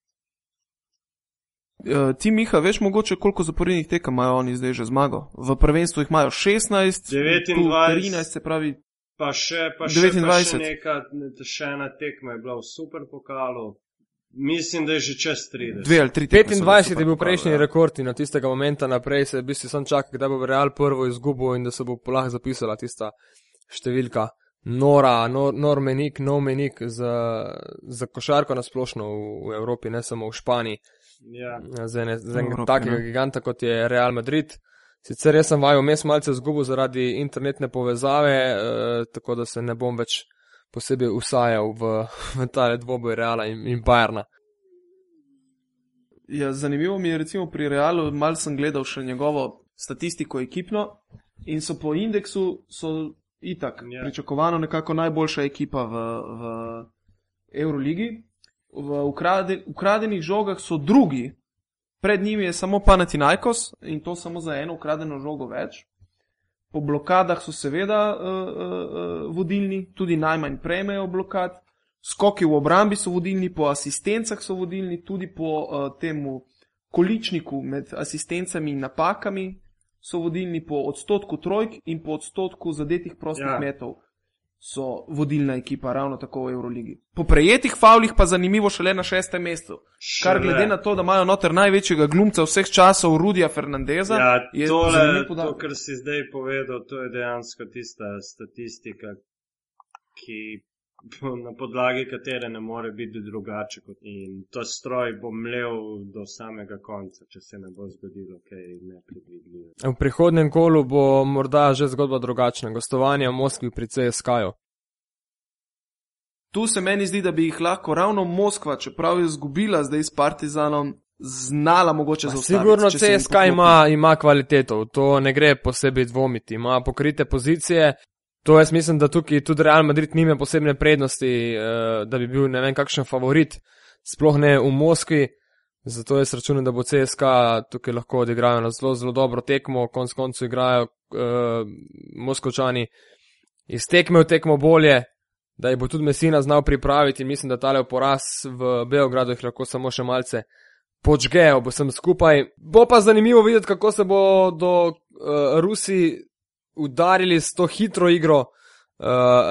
Uh, ti, Miha, veš mogoče, koliko zaporednih tekem imajo oni zdaj že zmago? V prvenstvu jih imajo šestnajst, devetindvajset, trinajst, se pravi pa še, pa še, pa še neka, še ena tekma je bila v Superpokalu. Mislim, da je že čez trideset. Dve ali tri tekme. petindvajset je bil prejšnji ja. rekord in od tistega momenta naprej se v bistvu sam čaka, kdaj bo Real prvo izgubil in da se bo lahko zapisala tista številka. Nora, nor, nor menik, no menik za, za košarko nasplošno v, v Evropi, ne samo v Španiji. Ja. Za enega takega giganta, kot je Real Madrid. Sicer jaz sem vaju mes malce zgubil zaradi internetne povezave, eh, tako da se ne bom več posebej usajal v, v tale dvoboj Reala in, in Bayerna. Ja, zanimivo mi je recimo pri Realu, malo sem gledal še njegovo statistiko ekipno in so po indeksu so itak yeah. pričakovano nekako najboljša ekipa v, v Euroligi. V ukrade, ukradenih žogah so drugi, pred njimi je samo Panathinaikos in to samo za eno ukradeno žogo več. Po blokadah so seveda uh, uh, vodilni, tudi najmanj prejmejo blokad. Skoki v obrambi so vodilni, po asistencah so vodilni, tudi po uh, temu količniku med asistencami in napakami so vodilni, po odstotku trojk in po odstotku zadetih prostih ja. metov so vodilna ekipa ravno tako v Euroligi. Po prejetih favlih pa zanimivo šele na šestem mestu. Kar glede na to, da imajo noter največjega glumca vseh časov Rudija Fernandeza, ja, je tole, zanimivo podatek. To, kar si zdaj povedal, to je dejansko tista statistika, ki na podlagi katere ne more biti drugače kot in to stroj bo mlel do samega konca, če se ne bo zgodilo kaj nepredvidljivo. V prihodnem kolu bo morda že zgodba drugačna. Gostovanje v Moskvi pri C S K-ju. Tu se meni zdi, da bi jih lahko ravno Moskva, čeprav je zgubila zdaj s Partizanom, znala mogoče zaustaviti. Sigurno C S K ima, ima kvaliteto, to ne gre posebej dvomiti. Ima pokrite pozicije. To jaz mislim, da tukaj tudi Real Madrid nima posebne prednosti, da bi bil ne vem kakšen favorit, sploh ne v Moskvi, zato jaz računam, da bo C S K tukaj lahko odigrajo na zelo, zelo dobro tekmo, konc koncu igrajo uh, Moskovčani iz tekme v tekmo bolje, da jih bo tudi Messina znal pripraviti in mislim, da tale poraz v Beogradu jih lahko samo še malce počgejo, bo sem skupaj. Bo pa zanimivo videti, kako se bo do uh, Rusi udarili s to hitro igro uh,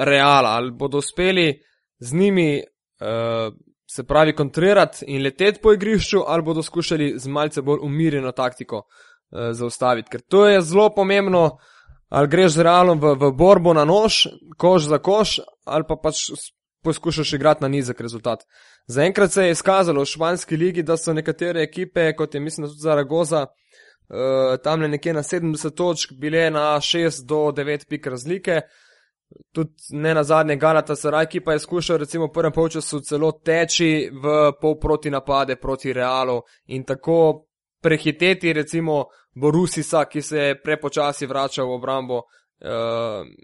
Reala, ali bodo uspeli z njimi uh, se pravi kontrirati in leteti po igrišču, ali bodo skušali z malce bolj umirjeno taktiko uh, zaustaviti, ker to je zelo pomembno, ali greš z Realom v, v borbo na nož, koš za koš, ali pa pač poskušaš igrati na nizek rezultat. Zaenkrat se je izkazalo v španski ligi, da so nekatere ekipe, kot je mislim tudi Zaragoza, uh, tam nekje na sedemdeset točk, bile na šest do devet pik razlike. Tudi ne na zadnje Galatasaray, ki pa je skušal recimo v prvem polčasu celo teči v pol proti napade proti Realu in tako prehiteti recimo Borussisa, ki se je prepočasi vračal v obrambo uh,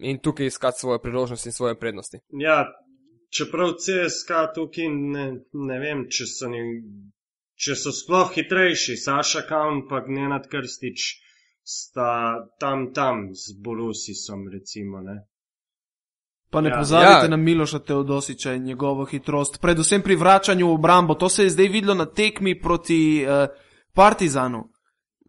in tukaj iskati svoje priložnosti in svoje prednosti. Ja, čeprav C S K tukaj ne, ne vem, če so, ni, če so sploh hitrejši, Saša Kaun pa Nenad Krstič sta tam tam z Borussisom recimo, ne. Pa ne Ja. pozabite Ja. na Miloša Teodosića in njegovo hitrost, predvsem pri vračanju v obrambo. To se je zdaj videlo na tekmi proti uh, Partizanu.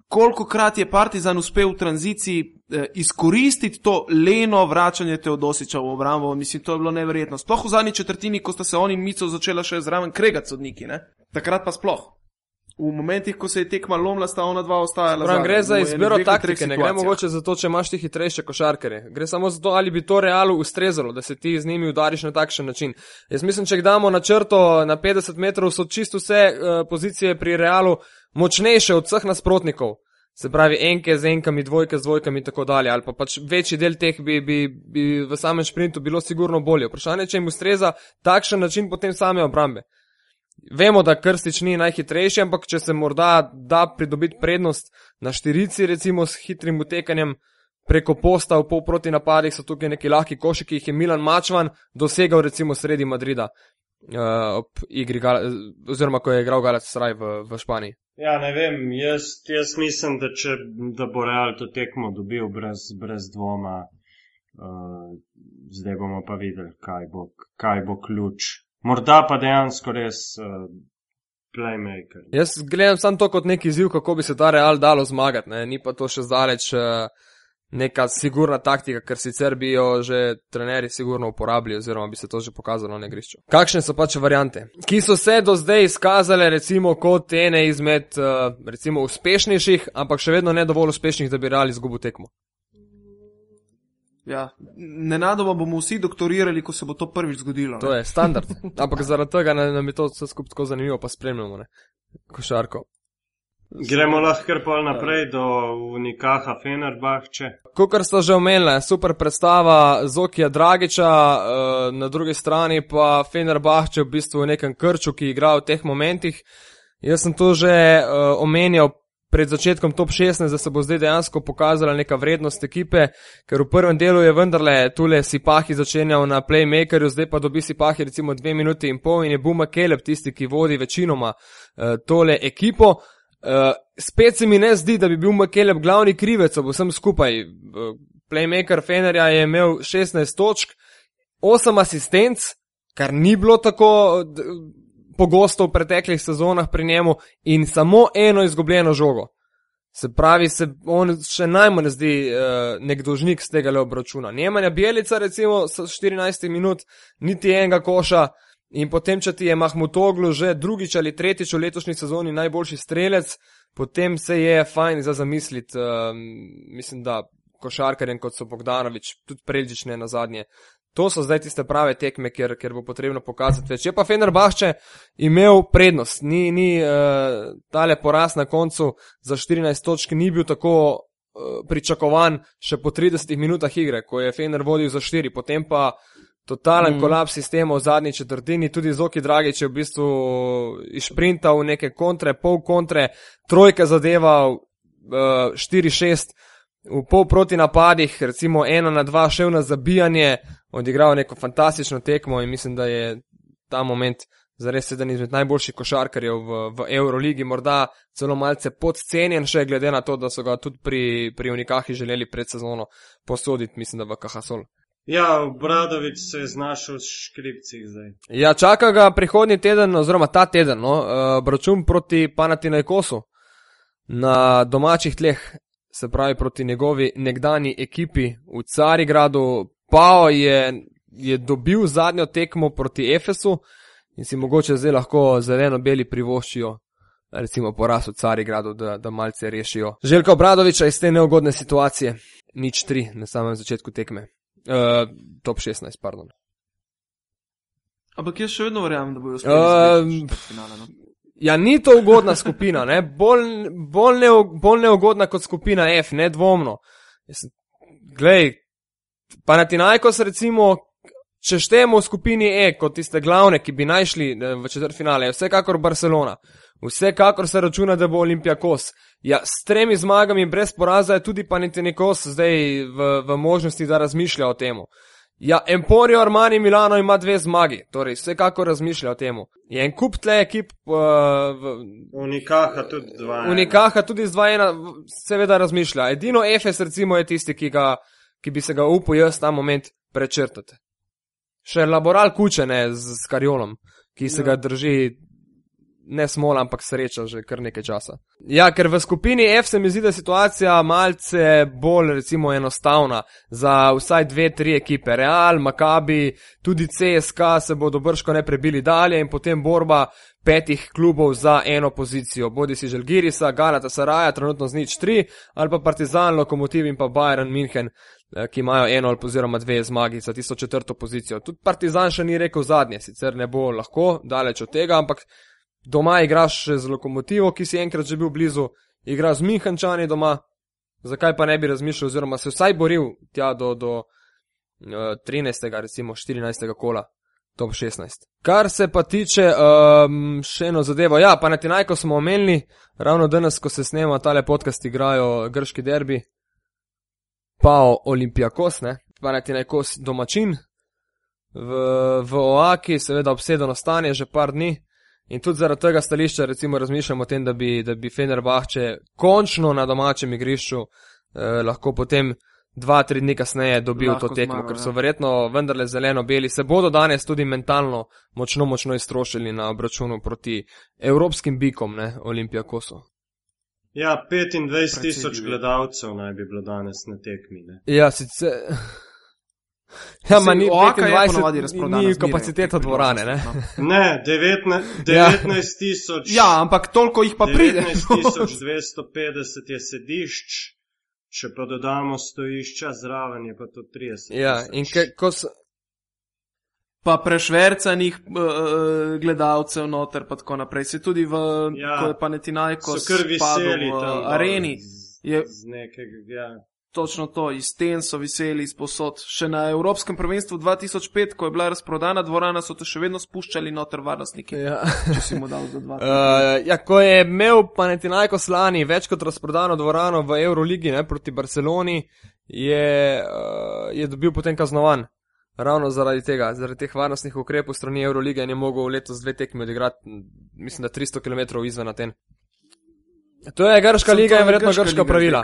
Kolikokrat je Partizan uspel v tranziciji eh, izkoristiti to leno vračanje Teodosića v obrambo, mislim, to je bilo neverjetno. Sploh v zadnji četrtini, ko sta se on in Mico začela še zraven kregati sodniki, ne? Takrat pa sploh. V momentih, ko se je tekma lomila, sta ona dva ostajala Prav, zadaj. gre za V izbiro enih dveh, treh taktike, ne gre situacijah. mogoče za to, če imaš ti hitrejše košarkarje. Gre samo za to, ali bi to Realu ustrezalo, da se ti z njimi udariš na takšen način. Jaz mislim, če jih damo na črto na petdeset metrov, so čisto vse uh, pozicije pri Realu močnejše od vseh nasprotnikov. Se pravi, enke z enkami, dvojke z dvojkami in tako dalje, ali pa pač večji del teh bi, bi, bi v samem šprintu bilo sigurno bolje. Vprašanje, če jim ustreza takšen način potem same obrambe. Vemo, da Krstič ni najhitrejši, ampak če se morda da pridobiti prednost na štirici, recimo s hitrim utekanjem preko posta v pol proti napadih, so tukaj neki lahki koši, ki jih je Milan Mačvan dosegal recimo sredi Madrida, uh, ob igri, Gal oziroma ko je igral Galatasaray v, v Španiji. Ja, ne vem, jaz, jaz mislim, da, če, da bo Real to tekmo dobil brez, brez dvoma. Uh, zdaj bomo pa videli, kaj bo, kaj bo ključ. Morda pa dejansko res uh, playmaker. Jaz gledam samo to kot neki izziv, kako bi se ta Real dalo zmagati, ne? Ni pa to še zdaleč uh, neka sigurna taktika, ker sicer bi jo že trenerji sigurno uporabili oziroma bi se to že pokazalo na igrišču. Kakšne so pač variante, ki so se do zdaj izkazale recimo kot ene izmed uh, recimo uspešnejših, ampak še vedno ne dovolj uspešnih, da bi Real izgubil tekmo? Ja, nenadoma bomo vsi doktorirali, ko se bo to prvič zgodilo. To ne? je standard, ampak zaradi tega nam je to vse skupaj tako zanimivo, pa spremljamo, ne, košarko. Gremo lahko kar pol naprej do Unikaha Fenerbahče. Kakor sta že omenila, super predstava Zokija Dragića, na drugi strani pa Fenerbahče v bistvu v nekem krču, ki igra v teh momentih. Jaz sem to že omenjal pred začetkom top šestnajst, da se bo zdaj dejansko pokazala neka vrednost ekipe, ker v prvem delu je vendarle tule Sipahi začenjal na playmakerju, zdaj pa dobi Sipahi recimo dve minuti in pol in je Buma Keleb tisti, ki vodi večinoma uh, tole ekipo. Uh, spet se mi ne zdi, da bi bil Makeleb glavni krivec ob vsem skupaj. Uh, playmaker Fenerja je imel šestnajst točk, osem asistenc, kar ni bilo tako d- pogosto v preteklih sezonah pri njemu, in samo eno izgubljeno žogo. Se pravi, se on še najmanj zdi uh, nek dolžnik z tega le obračuna. Nemanja Bjelica recimo s štirinajst minut, niti enega koša, in potem, če ti je Mahmutoglu že drugič ali tretjič v letošnji sezoni najboljši strelec, potem se je fajn za zamisliti, uh, mislim, da košarkarjem kot so Bogdanović, tudi Preldžić ne nazadnje. To so zdaj tiste prave tekme, kjer, kjer bo potrebno pokazati več. Je pa Fenerbahče imel prednost, ni, ni uh, tale poraz na koncu za štirinajst točk ni bil tako uh, pričakovan še po tridesetih minutah igre, ko je Fener vodil za štiri, potem pa totalen mm. kolaps sistema v zadnji četrtini, tudi Zoki Dragić je v bistvu išprintal neke kontre, pol kontre, trojke zadeval, uh, štiri šest, v pol proti napadih, recimo ena na dva šel na zabijanje, odigral neko fantastično tekmo in mislim, da je ta moment zares eden izmed najboljših košarkarjev v, v Euroligi, morda celo malce podcenjen še glede na to, da so ga tudi pri, pri Unikahi želeli pred sezono posoditi, mislim, da v Cajasol. Ja, Obradović se je znašel v škripcih zdaj. Ja, čaka ga prihodnji teden, oziroma ta teden, no, obračun proti Panathinaikosu na domačih tleh, se pravi proti njegovi nekdani ekipi v Carigradu. Pao je, je dobil zadnjo tekmo proti Efesu in si mogoče zdaj lahko zeleno-beli privoščijo recimo poraz v Carigradu, da, da malce rešijo Željka Obradovića iz te neugodne situacije. Nič tri na samem začetku tekme. Uh, top šestnajst, pardon. Ampak jaz še vedno verjamem, da bojo Um, uspeli finale. No? Ja, ni to ugodna skupina, ne? Bolj, bolj, ne, bolj neugodna kot skupina F, nedvomno. Jaz, glej, Panathinaikos recimo, če štejemo v skupini E kot tiste glavne, ki bi najšli v četrtfinale, je vsekakor Barcelona. Vsekakor se računa, da bo Olympiakos. Ja, s tremi zmagami brez poraza je tudi Panathinaikos zdaj v, v možnosti, da razmišlja o temu. Ja, Emporio Armani Milano ima dve zmagi, torej vsekakor razmišlja o temu. Je en kup tle ekip... Uh, v, Unikaha tudi dva ena. Unikaha tudi z dva ena seveda razmišlja. Edino Efes recimo je tisti, ki, ga, ki bi se ga upal jaz ta moment prečrtati. Še Laboral Kuče, ne, z, z Karjolom, ki se ja. ga drži ne smola, ampak sreča že kar nekaj časa. Ja, ker v skupini F se mi zdi, da je situacija malce bolj recimo enostavna za vsaj dve, tri ekipe. Real, Maccabi, tudi C S K a se bodo brško ne prebili dalje in potem borba petih klubov za eno pozicijo. Bodi si Žalgirisa, Galatasaraja, trenutno z nič tri, ali pa Partizan, Lokomotiv in pa Bayern München, ki imajo eno ali oziroma dve zmagi za tisto četrto pozicijo. Tudi Partizan še ni rekel zadnje, sicer ne bo lahko, daleč od tega, ampak doma igraš še z Lokomotivo, ki si enkrat že bil blizu, igra z Münchenčani doma, zakaj pa ne bi razmišljal, oziroma se vsaj boril tja do, do uh, trinajstega, recimo štirinajstega kola, top šestnajst. Kar se pa tiče um, še eno zadevo, ja, Panathinaikos smo omenili, ravno danes, ko se snema tale podcast, igrajo grški derbi, pa Olympiakos, ne, Panathinaikos domačin, v, v Oaki, seveda obsedeno stanje že par dni. In tudi zaradi tega stališča recimo razmišljamo o tem, da bi, da bi Fenerbahče končno na domačem igrišču eh, lahko potem dva, tri dni kasneje dobil lahko to tekmo, zmago, ker so ja. verjetno vendarle zeleno-beli. Se bodo danes tudi mentalno močno, močno iztrošili na obračunu proti evropskim bikom, ne, Olympiakosu. Ja, petindvajset tisoč gledalcev naj bi bilo danes na tekmi, ne. Ja, sicer... Ja, ma ni petindvajset, ni kapaciteta dvorane, ne? Ne, devetnajst tisoč. Ja, ampak toliko jih pa pride. devetnajst tisoč dvesto petdeset je sedišč, če pa dodamo stojišča zraven, je pa to trideset tisoč. Ja, in ke, ko so... Pa prešvercanih uh, gledalcev noter, pa tako naprej. Se tudi v, ja, ko je Panathinaikos padel v uh, areni. Z, je... z nekega, ja. Točno to, iz sten so viseli izposod. Še na Evropskem prvenstvu dva tisoč pet, ko je bila razprodana dvorana, so to še vedno spuščali noter varnostniki. Ja. Če si mu dal za dva. uh, ja, ko je imel Panathinaikos lani več kot razprodano dvorano v Euroligi, ne, proti Barceloni, je, uh, je dobil potem kaznovan. Ravno zaradi tega, zaradi teh varnostnih ukrepov strani Eurolige in je mogel letos dve tekmi odigrati, mislim, da tristo kilometrov izven Aten. To je grška sem liga in verjetno grška, grška pravila.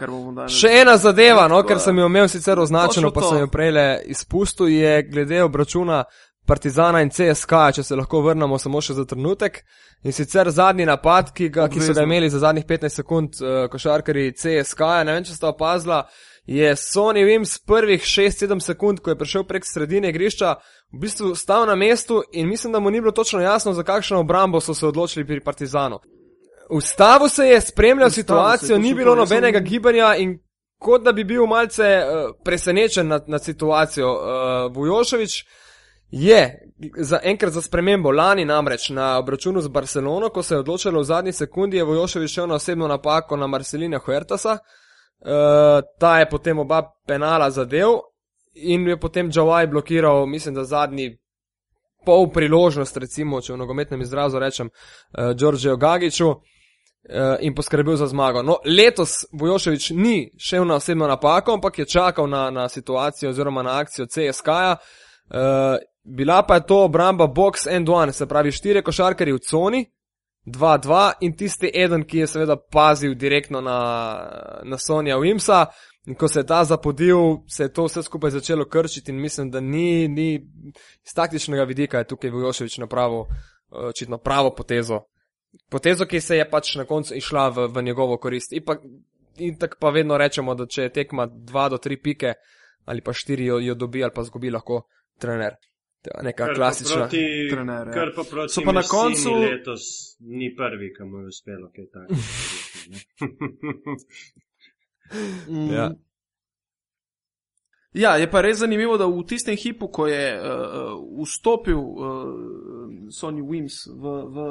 Še ena zadeva, no, ker sem jo imel sicer označeno, pa sem jo prejle izpustil, je glede obračuna Partizana in C S K a, če se lahko vrnemo samo še za trenutek. In sicer zadnji napad, ki, ga, ki so ga imeli za zadnjih petnajst sekund uh, košarkari C S K a, ne vem, če sta opazila, je Sonny Wims prvih šest sedem sekund, ko je prišel prek sredine igrišča, v bistvu stal na mestu in mislim, da mu ni bilo točno jasno, za kakšno obrambo so se odločili pri Partizanu. Ustavil se je, spremljal Ustavil situacijo, ni bilo nobenega sem... gibanja in kot da bi bil malce uh, presenečen nad, nad situacijo. Uh, Vujošević je za enkrat za spremembo lani namreč na obračunu z Barcelono, ko se je odločilo v zadnji sekundi, je Vujošević šel na osebno napako na Marcelina Huertasa. Uh, ta je potem oba penala zadev in je potem Džavaj blokiral, mislim, da zadnji pol priložnost, recimo, če v nogometnem izrazu rečem, uh, Đorđeju Gagiću. In poskrbel za zmago. No, letos Vujošević ni šel na osebno napako, ampak je čakal na, na situacijo oziroma na akcijo C S K a. Uh, bila pa je to obramba box and one, se pravi štiri košarkarji v coni, dva dva in tisti eden, ki je seveda pazil direktno na, na Sonija Wimsa. In ko se je ta zapodil, se je to vse skupaj začelo krčiti in mislim, da ni, ni iz taktičnega vidika je tukaj Vujošević napravil očitno pravo potezo. Potezo, ki se je pač na koncu išla v, v njegovo korist. In, pa, in tak pa vedno rečemo, da če je tekma dva do tri pike ali pa štiri jo, jo dobi ali pa zgubi lahko trener. Neka kar klasična proti, trener. Ja. Kar pa proti so pa na koncu letos ni prvi, ki mu je uspelo kaj tako. Ja. Ja, je pa res zanimivo, da v tistem hipu, ko je uh, vstopil uh, Sonny Wims v, v,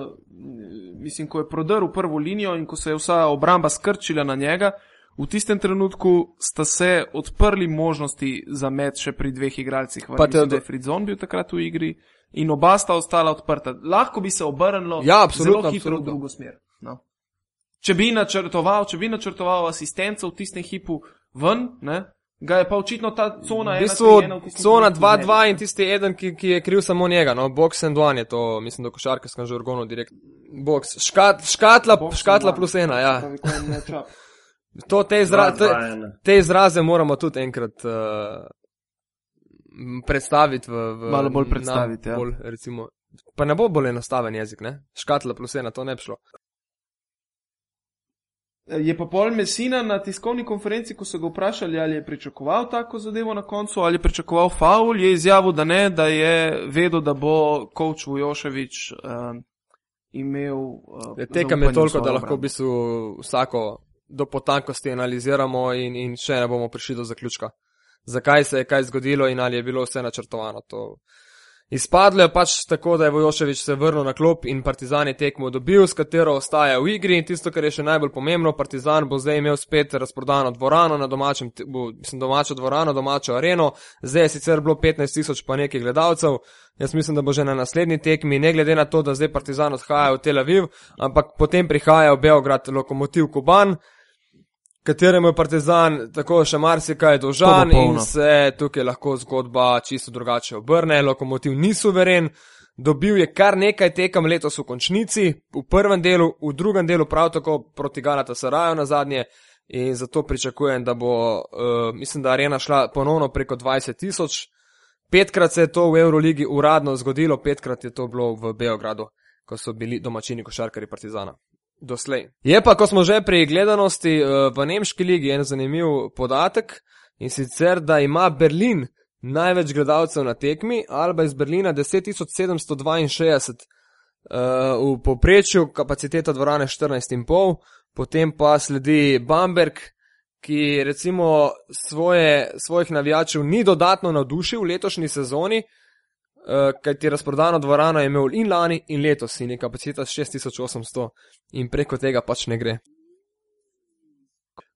mislim, ko je prodrl prvo linijo in ko se je vsa obramba skrčila na njega, v tistem trenutku sta se odprli možnosti za met še pri dveh igralcih. Pa mislim, da je Fritzon bil takrat v igri in oba sta ostala odprta. Lahko bi se obrnilo ja, zelo hitro absolutno. v drugo smer. No. Če bi načrtoval, če bi načrtoval asistenco v tistem hipu ven, ne, ga je pa očitno ta cona ena, tri ena. V bistvu cona dva dva in tisti eden, ki, ki je kriv samo njega, no, box and one je to, mislim, da košarkarskem žargonu direkt. Box, Škat, škatla, box škatla plus ena, ja. To, te, izra, te, te izraze moramo tudi enkrat uh, predstaviti v, v malo bolj predstaviti, na, ja. Bolj, recimo, pa ne bo bolj enostaven jezik, ne? Škatla plus ena, to ne bi šlo. Je pa pol Messina na tiskovni konferenci, ko so ga vprašali, ali je pričakoval tako zadevo na koncu, ali je pričakoval faul, je izjavil, da ne, da je vedel, da bo coach Vujošević uh, imel uh, tekem je toliko, da lahko v bistvu vsako do potankosti analiziramo in, in še ne bomo prišli do zaključka. Zakaj se je kaj zgodilo in ali je bilo vse načrtovano. To izpadlo je pač tako, da je Vujošević se vrnil na klop in Partizan je tekmo dobil, s katero ostaja v igri in tisto, kar je še najbolj pomembno, Partizan bo zdaj imel spet razprodano dvorano na domačem, bo, mislim, domačo dvorano, domačo areno, zdaj je sicer bilo petnajst tisoč pa nekaj gledalcev, jaz mislim, da bo že na naslednji tekmi, ne glede na to, da zdaj Partizan odhaja v Tel Aviv, ampak potem prihaja v Beograd Lokomotiv Kuban, kateremu je Partizan tako še marsikaj dolžan in se tukaj lahko zgodba čisto drugače obrne. Lokomotiv ni suveren, dobil je kar nekaj tekem letos v končnici, v prvem delu, v drugem delu prav tako proti Galatasaraju na zadnje in zato pričakujem, da bo, uh, mislim, da arena šla ponovno preko dvajset tisoč. Petkrat se je to v Euroligi uradno zgodilo, petkrat je to bilo v Beogradu, ko so bili domačini košarkarji Partizana. Doslej. Je pa, ko smo že pri gledanosti v nemški ligi, en zanimiv podatek in sicer, da ima Berlin največ gledalcev na tekmi, Alba iz Berlina deset tisoč sedemsto dvainšestdeset, v povprečju kapaciteta dvorane štirinajst in pol, potem pa sledi Bamberg, ki recimo svoje, svojih navijačev ni dodatno navdušil v letošnji sezoni, Uh, kajti razprodano dvorano je imel in lani in letos in je kapaciteta šest tisoč osemsto in preko tega pač ne gre.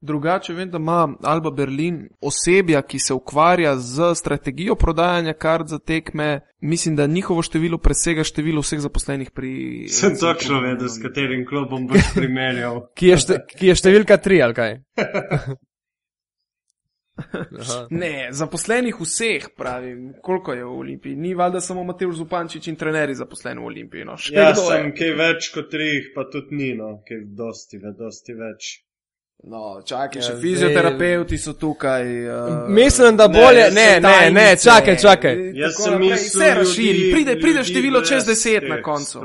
Drugače vem, da ima Alba Berlin osebja, ki se ukvarja z strategijo prodajanja kart za tekme. Mislim, da njihovo število presega število vseh zaposlenih pri... Sem točno vedel, s katerim klubom boš primerjal. ki, je šte, ki je številka tri, ali kaj? Ne, zaposlenih vseh, pravim, koliko je v Olimpiji. Ni valjda samo Matevž Zupančič in trenerji zaposleni v Olimpiji. No. Ja, sem kaj več kot trih, pa tudi ni, no, kaj dosti, dosti več. No, čakaj, ja, še fizioterapeuti so tukaj. Uh, mislim, da bolje, ne, ne, ne, ne, čakaj, čakaj. Jaz sem mislil, vse razširi, pride, pride število čez deset na koncu.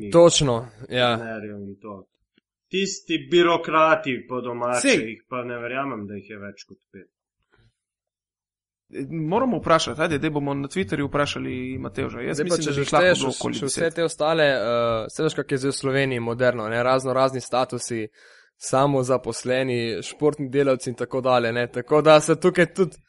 Točno, ja. Tisti birokrati po domače, jih pa ne verjamem, da jih je več kot pet. Moramo vprašati, ajde, da bomo na Twitterju vprašali Matevža. Jaz zdaj mislim, pa, da bi lahko bilo okoli deset. Vse te ostale, uh, vse veš, kak je zdaj v Sloveniji moderno, ne, razno razni statusi, samo zaposleni, športni delavci in tako dalje, ne, tako da se tukaj tudi...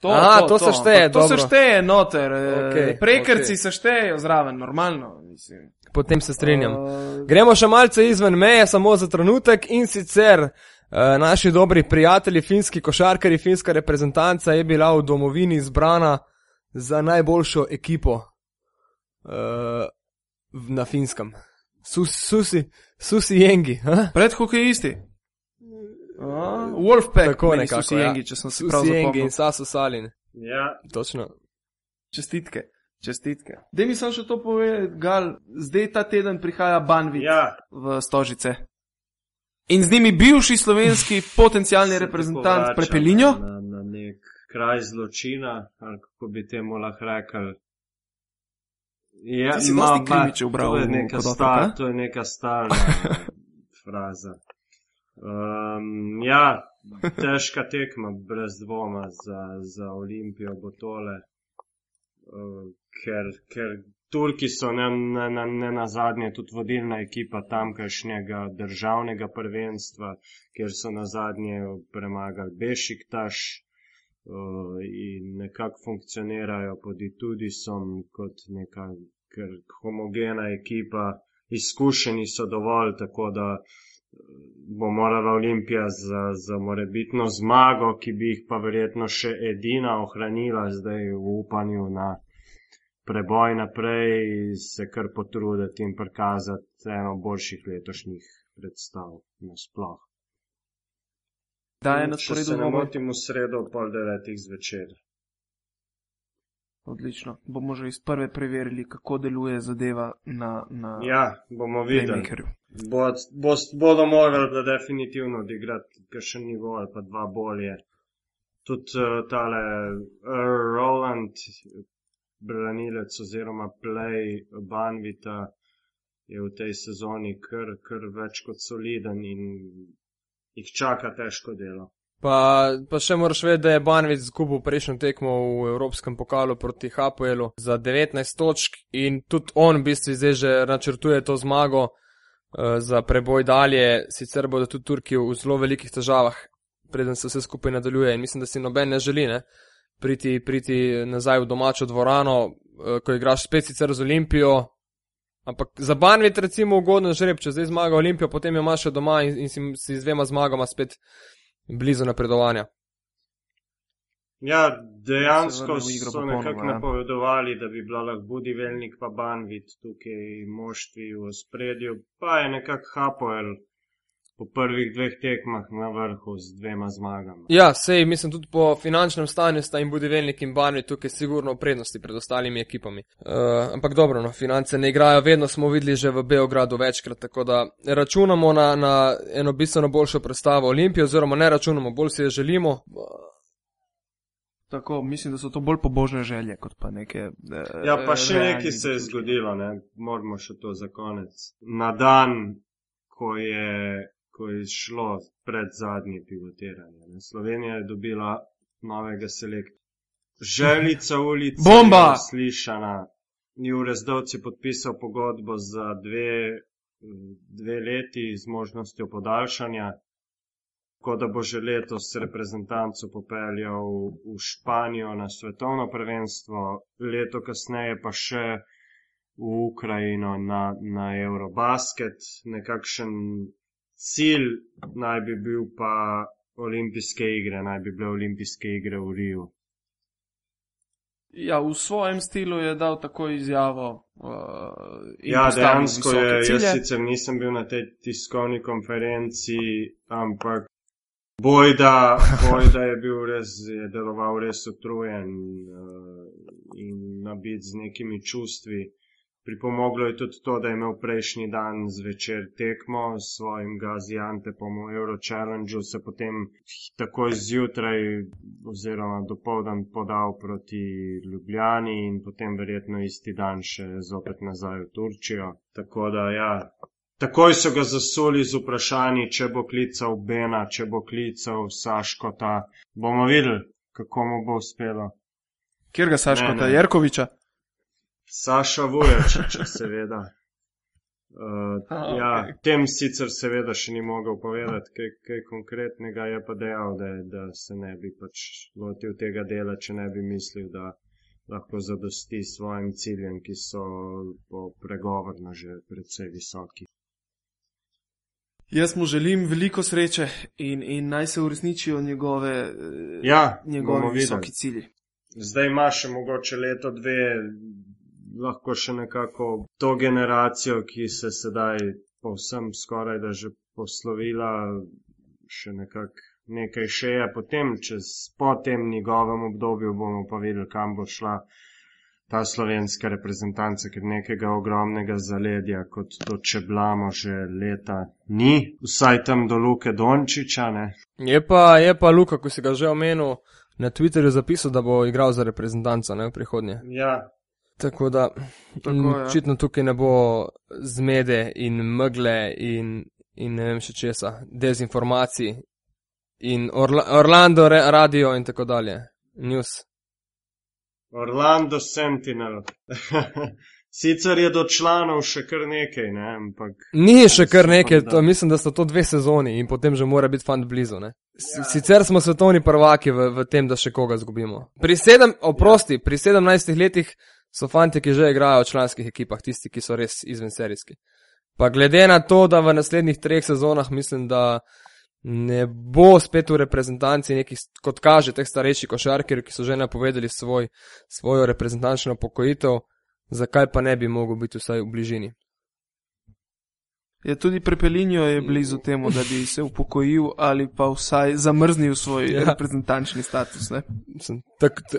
To, Aha, to, to, to se šteje, to, to se šteje noter, okay, prekrci okay. se štejejo zraven, normalno, mislim. Potem se strinjam. Uh... Gremo še malce izven meje, samo za trenutek in sicer... Uh, naši dobri prijatelji, finski košarkari, finska reprezentanca je bila v domovini izbrana za najboljšo ekipo uh, na finskem. Sus, susi, susi Jengi. Pred hokejisti. Uh, Wolfpack, tako meni nekako, Susi ja. Jengi, če sem si Susi prav zapomnil. Jengi in Sasu Salin. Ja. Točno. Čestitke, čestitke. Dej mi sam še to pove, Gal, zdaj ta teden prihaja Banvit ja. v Stožice. In z njimi bivši slovenski potencialni reprezentant Prepelinjo? Na, na nek kraj zločina, ali kako bi temu lahko rekel. Ja, Ti si dosti krimiče ubral. To je neka, star, to je neka stalna fraza. Um, ja, težka tekma, brez dvoma za, za Olimpijo bo tole, uh, ker, ker Turki so ne, ne, ne, ne na zadnje tudi vodilna ekipa tamkajšnjega državnega prvenstva, kjer so na zadnje premagali Bešiktaš. uh, in nekako funkcionirajo pod Itudisom kot neka ker homogena ekipa, izkušeni so dovolj, tako da bo morala Olimpija za, za morebitno zmago, ki bi jih pa verjetno še edina ohranila zdaj v upanju na preboj naprej, se kar potruditi in prikazati eno boljših letošnjih predstav nasploh. Da je na Če sporedu se ne dvoboj. motim v sredo pol devetih zvečer. Odlično. Bomo že iz prve preverili, kako deluje zadeva na, na Ja, bomo videli. Playmakerju. Bo, bo, bodo morali da definitivno odigrati kakšen nivo ali pa dva bolje. Tudi uh, tale uh, Roland, branilec oziroma play Banvita, je v tej sezoni kar, kar več kot soliden in jih čaka težko delo. Pa, pa še moraš vedeti, da je Banvit zgubil prejšnjo tekmo v Evropskem pokalu proti Hapoelu za devetnajst točk in tudi on v bistvu zdaj že načrtuje to zmago uh, za preboj dalje. Sicer bodo tudi Turki v zelo velikih težavah, preden se vse skupaj nadaljuje in mislim, da si noben ne želi ne, priti, priti nazaj v domačo dvorano, uh, ko igraš spet sicer z Olimpijo. Ampak za Banvit recimo ugodno žreb, če zdaj zmaga Olimpijo, potem jo imaš še doma in, in si, si z dvema zmagama spet blizu napredovanja. Ja, dejansko Se vrne v igro so popolnoma, nekako ja. napovedovali, da bi bila lahko Budivelnik pa Banvit tukaj moštvi v spredju, pa je nekako Hapoel po prvih dveh tekmah na vrhu z dvema zmagama. Ja, sej, mislim, tudi po finančnem stanju sta in Budivelnik in Banvit tukaj sigurno v prednosti pred ostalimi ekipami. Uh, ampak dobro, no, finance ne igrajo, vedno smo videli že v Beogradu večkrat, tako da računamo na, na eno bistveno boljšo predstavo Olimpije, oziroma ne računamo, bolj si je želimo. Tako, mislim, da so to bolj pobožne želje, kot pa neke... Eh, Ja, pa še realni nekaj se je zaključki. zgodilo, ne, moramo še to za konec. Na dan, ko je, ko je šlo pred zadnje pivotiranje, ne, Slovenija je dobila novega selektora. Želica ulica Bomba! je slišana. Jure Zdovc je podpisal pogodbo za dve, dve leti z možnostjo podaljšanja, tako da bo že letos reprezentanco popeljal v Španijo na svetovno prvenstvo, leto kasneje pa še v Ukrajino na, na Eurobasket. Nekakšen cilj naj bi bil pa olimpijske igre, naj bi bile olimpijske igre v Riju. Ja, v svojem stilu je dal tako izjavo. Uh, in Ja, postavil dejansko visoke je, jaz cilje. sicer nisem bil na tej tiskovni konferenci, ampak bojda, bojda je bil res, je deloval res utrujen uh, in nabit z nekimi čustvi. Pripomoglo je tudi to, da je imel prejšnji dan zvečer tekmo s svojim Gaziantepom v Euro Challengeu, se potem takoj zjutraj oziroma dopoldan podal proti Ljubljani in potem verjetno isti dan še zopet nazaj v Turčijo. Tako da ja, takoj so ga zasuli z vprašanji, če bo klical Bena, če bo klical Saškota. Bomo videli, kako mu bo uspelo. Kjer ga Saškota? Ne, ne. Jerkoviča? Saša Vujačiča, seveda. Uh, Aha, ja, okej. tem sicer seveda še ni mogel povedati kaj, kaj konkretnega, je pa dejal, da, da se ne bi pač lotil tega dela, če ne bi mislil, da lahko zadosti svojim ciljem, ki so po pregovorno že precej visoki. Jaz mu želim veliko sreče in, in naj se uresničijo njegove, eh, Ja, njegovi bomo visoki videli. cilji. Zdaj ima še mogoče leto, dve, lahko še nekako to generacijo, ki se sedaj povsem skoraj da že poslovila, še nekako nekaj šeje. Potem, čez po tem njegovem obdobju bomo pa videli, kam bo šla ta slovenska reprezentanca, ker nekega ogromnega zaledja, kot to čeblamo že leta, ni. Vsaj tam do Luke Dončiča, ne. Je pa, je pa Luka, ko si ga že omenil, na Twitterju zapisal, da bo igral za reprezentanco, ne, v prihodnje. Ja, Tako da, Tako, m, ja. očitno tukaj ne bo zmede in megle in, in ne vem še česa, dezinformacij in Orla, Orlando re, radio in tako dalje. News. Orlando Sentinel. Sicer je do članov še kar nekaj, ne, ampak... Ni še kar nekaj, to, mislim, da so to dve sezoni in potem že mora biti fant blizu, ne. Ja. Sicer smo svetovni prvaki v, v tem, da še koga zgubimo. Pri sedem, oprosti, ja. Pri sedemnajstih letih so fanti, ki že igrajo v članskih ekipah, tisti, ki so res izvenserijski. Pa glede na to, da v naslednjih treh sezonah mislim, da ne bo spet v reprezentanci nekih, kot kaže, teh starejših košarkarjev, ki so že napovedali svoj, svojo reprezentančno pokojitev, zakaj pa ne bi mogel biti vsaj v bližini. Je tudi Prepelinjo je blizu temu, da bi se upokojil ali pa vsaj zamrznil svoj ja. reprezentančni status, ne? Mislim, tak, t...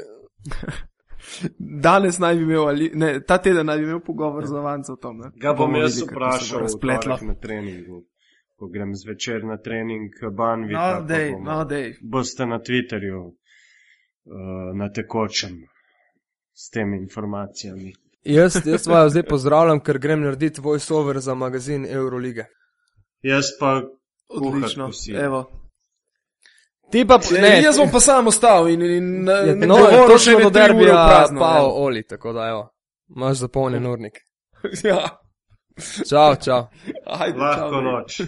Danes naj bi imel, ali, ne, ta teden naj bi imel pogovor z Avanco o tom, ne? Ga bom jaz vprašal v torek na treningu, ko grem zvečer na trening Banvita, no, dej, no, dej. Boste na Twitterju uh, na tekočem s temi informacijami. Jaz, jaz vaju zdaj pozdravljam, ker grem narediti voice-over za magazin Eurolige. Jaz pa odlično, evo. Ti pa, ne, jaz bom pa sam ostal in, in je, no, točno do derbija pao Oli, tako da evo, imaš zapolnjen urnik. Ja. Čau, čau. Ajde, lahko čau, noč.